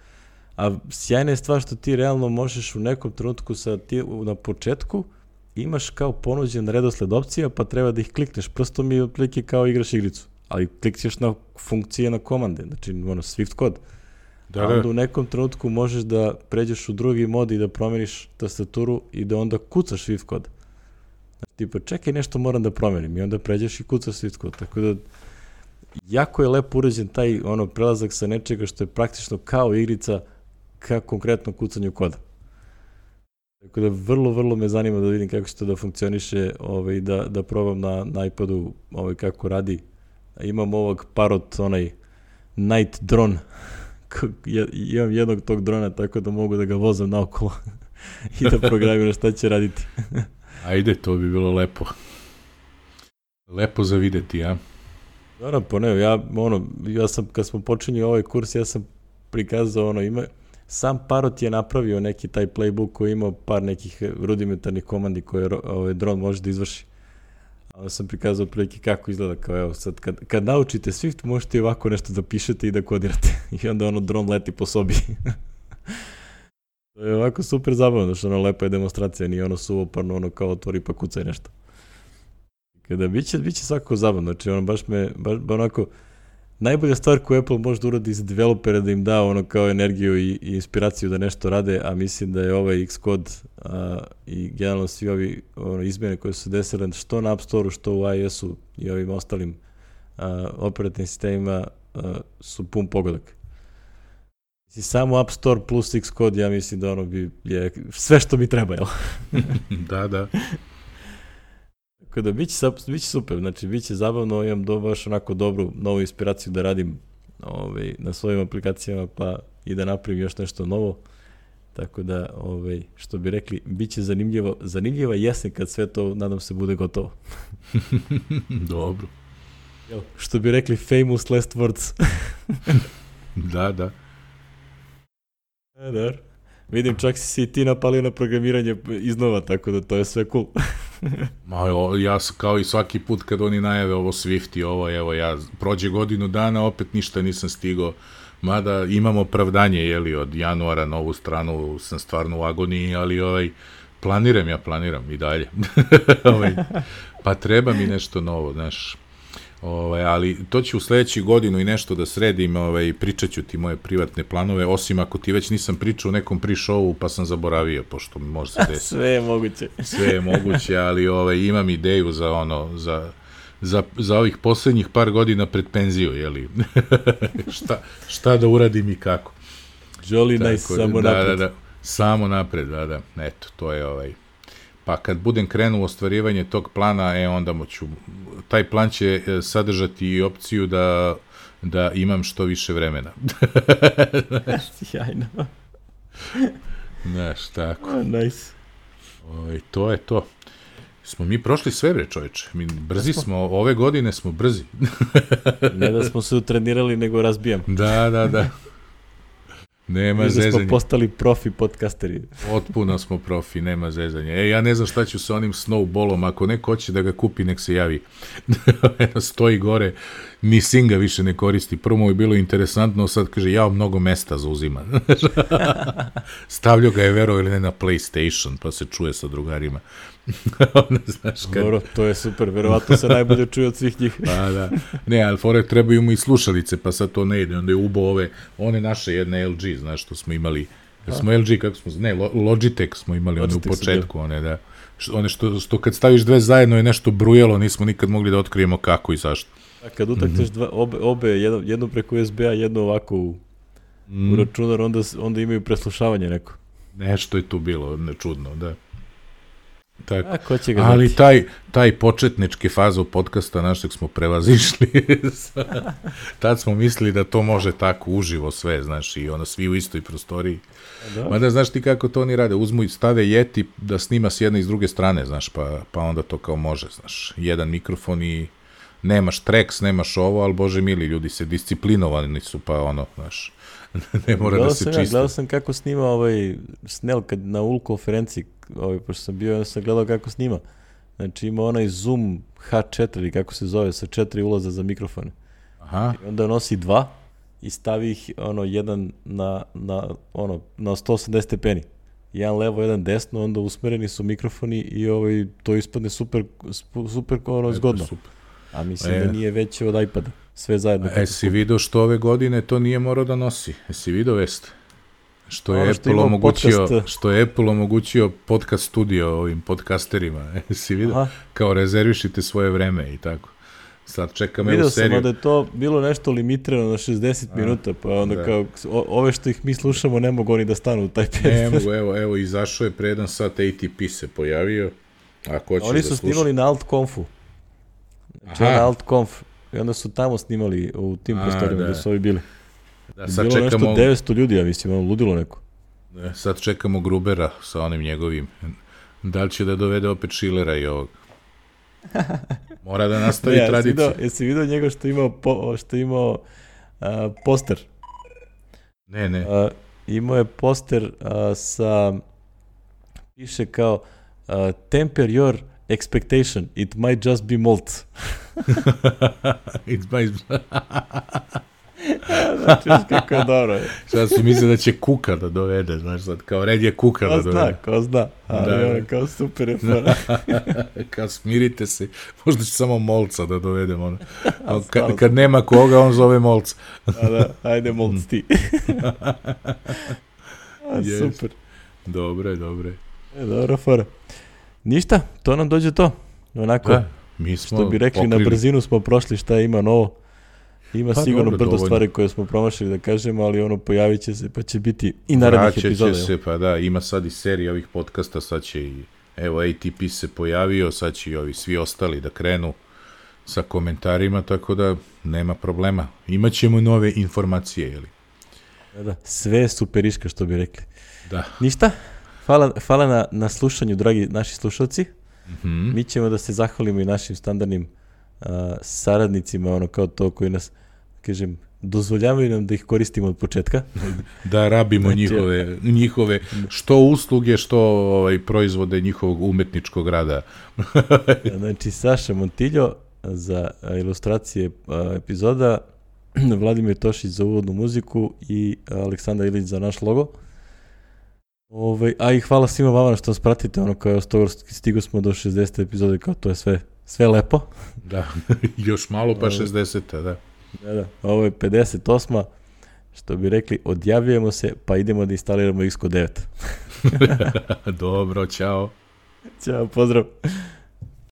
a sjajna je stvar što ti realno možeš u nekom trenutku na početku imaš kao ponuđen redosled opcija, pa treba da ih klikneš prstom i otprilike kao igraš igricu. Ali klikćeš na funkcije, na komande, znači Swift kod. A onda u nekom trenutku možeš da pređeš u drugi mod i da promeniš tastaturu i da onda kucaš Swift kod. Znači, tipa, čekaj, nešto moram da promenim i onda pređeš i kucaš Swift kod. Tako da, jako je lepo urađen taj prelazak sa nečega što je praktično kao igrica ka konkretno kucanju koda. Tako da, vrlo, vrlo me zanima da vidim kako će to da funkcioniše i da probam na iPadu kako radi. Imam ovog Parrot, Night Drone. Imam jednog tog drona, tako da mogu da ga vozam naokolo i da programiram šta će raditi. Ajde, to bi bilo lepo. Lepo za videti, ja? Dobro, pa ne, ja sam, kad smo počinjali ovaj kurs, ja sam prikazao, sam Parrot je napravio neki taj playbook koji imao par nekih rudimentarnih komandi koje dron može da izvrši. Onda sam prikazao prilike kako izgleda, kao evo sad kad naučite Swift možete ovako nešto da pišete i da kodirate i onda dron leti po sobi. To je ovako super zabavno, što lepa je demonstracija, nije suvoparno, kao otvori pa kucaj nešto. Kada biće svakako zabavno, znači baš onako, najbolja stvar koju Apple može da uradi za developera da im da kao energiju i inspiraciju da nešto rade, a mislim da je ovaj Xcode i generalno svi ovi izmjene koje su desile što na App Store-u, što u iOS-u i ovim ostalim operativnim sistemima su pun pogodak. Samo App Store plus Xcode, ja mislim da ono je sve što mi treba, jel? Da. Tako da, bit će super, znači, bit će zabavno, imam baš onako dobru novu inspiraciju da radim na svojim aplikacijama, pa i da napravim još nešto novo. Tako da, što bi rekli, bit će zanimljiva jesen kad sve to, nadam se, bude gotovo. Dobro. Što bi rekli, famous last words. Da. Dobro. Vidim, čak si i ti napalio na programiranje iznova, tako da to je sve cool. Ja kao i svaki put kad oni najave ovo Swift i ovo, evo ja prođe godinu dana, opet ništa nisam stigao, mada imam opravdanje, jeli, od januara na ovu stranu sam stvarno u agoniji, ali planiram i dalje. Pa treba mi nešto novo, znaš. Ali to ću u sledećih godinu i nešto da sredim, pričat ću ti moje privatne planove, osim ako ti već nisam pričao u nekom pre-showu pa sam zaboravio, pošto mi može se desiti. Sve je moguće. Sve je moguće, ali imam ideju za ovih poslednjih par godina pred penziju, jeli? šta da uradim i kako. Jolly nice, samo napred. Da, samo napred, da. Eto, to je Pa kad budem krenuo u ostvarivanje tog plana, onda taj plan će sadržati i opciju da imam što više vremena. Sjajno. Znaš, tako. Nice. To je to. Smo mi prošli sve, bre, čoveče. Mi brzi smo, ove godine smo brzi. Ne da smo se utrenirali, nego razbijam. Da. Nema zezanja. Da smo postali profi podcasteri. Potpuno smo profi, nema zezanja. Ja ne znam šta ću sa onim snowballom, ako neko hoće da ga kupi, nek se javi. Stoji gore, ni Singa više ne koristi. Prvo mu je bilo interesantno, sad kaže, mnogo mesta zauzima. Stavljao ga je, vero ili ne, na PlayStation, pa se čuje sa drugarima. Dobro, to je super, verovatno se najbolje čuje od svih njih. Pa da, ne, ali fore trebaju mu i slušalice, pa sad to ne ide, onda je ubao one naše jedne LG, znaš, što smo imali, smo LG, kako smo, ne, Logitech smo imali, one u početku, one, da, one što kad staviš dve zajedno je nešto brujalo, nismo nikad mogli da otkrijemo kako i zašto. A kad utakneš obe, jednu preko USB-a, jednu ovako u računar, onda imaju preslušavanje neko. Nešto je tu bilo, čudno, da. Tako. Ali taj početnički fazu podcasta našeg smo prevazišli. Tad smo mislili da to može tako uživo sve, znaš, i svi u istoj prostoriji. Mada znaš ti kako to oni rade, uzmu i stave Yeti da snima s jedne i s druge strane, znaš, pa onda to kao može, znaš, jedan mikrofon i nemaš treks, nemaš ovo, ali bože mili, ljudi se disciplinovani su, pa znaš, ne mora da se čiste. Gledao sam kako snima Snell na UL konferenciji, pošto sam bio, sam gledao kako snima. Znači ima onaj Zoom H4 ili kako se zove, sa 4 ulaza za mikrofone. Aha. I onda nosi 2 i stavi ih jedan na 180 stepeni. Jedan levo, jedan desno, onda usmereni su mikrofoni i to ispadne super zgodno. Super. A mislim da nije veće od iPada. Sve zajedno. Si vidio što ove godine to nije morao da nosi? Si vidio vest? Što je Apple omogućio podcast studio ovim podcasterima. Si vidio? Kao rezervišite svoje vreme i tako. Sad čekam evo seriju. Vidio sam da je to bilo nešto limitirano na 60 minuta, pa onda kao ove što ih mi slušamo ne mogu oni da stanu u taj period. Ne mogu, evo izašao je pre 1 sat, ATP se pojavio. Oni su snimali na AltConfu. Znači na AltConf. I onda su tamo snimali u tim prostorima gde su ovi bili. Sad bilo čekamo, nešto 900 ljudi, ja mislim, ludilo neko. Sad čekamo Grubera sa onim njegovim. Da li će da dovede opet Schillera i ovog? Mora da nastavi tradiciju. Jesi vidio njega što je imao poster? Ne. Imao je poster piše kao temper your expectation, it might just be malt. Znači, kako je dobro. Sad si mislio da će Kuka da dovede, znaš, sad kao red je Kuka da dovede. Ko zna, ali kao super je fora. Kao smirite se, možda će samo Molca da dovedemo. Kad nema koga, on zove Molca. Ajde Molc ti. Super. Dobre. Dobro fora. Ništa, to nam dođe to. Onako, mi smo što bi rekli, na brzinu smo prošli šta ima novo. Ima Pa sigurno dobro, brdo dovoljno. stvari koje smo promašili da kažemo, ali ono pojavit će se, pa će biti i narednih epizoda. Vraćat će se, pa da, ima sad i serija ovih podcasta, sad će i, evo, ATP se pojavio, sad će i ovi svi ostali da krenu sa komentarima, tako da nema problema. Imaćemo nove informacije, jeli? Da, sve je superiška, što bi rekli. Da. Ništa, hvala na slušanju, dragi naši slušalci. Mi ćemo da se zahvalimo i našim standardnim saradnicima, ono kao to koji nas, kažem, dozvoljavaju nam da ih koristimo od početka. Da rabimo njihove što usluge, što proizvode njihovog umetničkog rada. Znači, Saša Montiljo za ilustracije epizoda, Vladimir Tošić za uvodnu muziku i Aleksandar Ilić za naš logo. A i hvala svima vama što nas pratite, ono kao stigo smo do 60. epizode, kao to je sve lepo. Da, još malo pa 60. Da. Da, ovo je 58. Što bi rekli, odjavljujemo se, pa idemo da instaliramo Xcode 9. Dobro, čao. Ćao, pozdrav.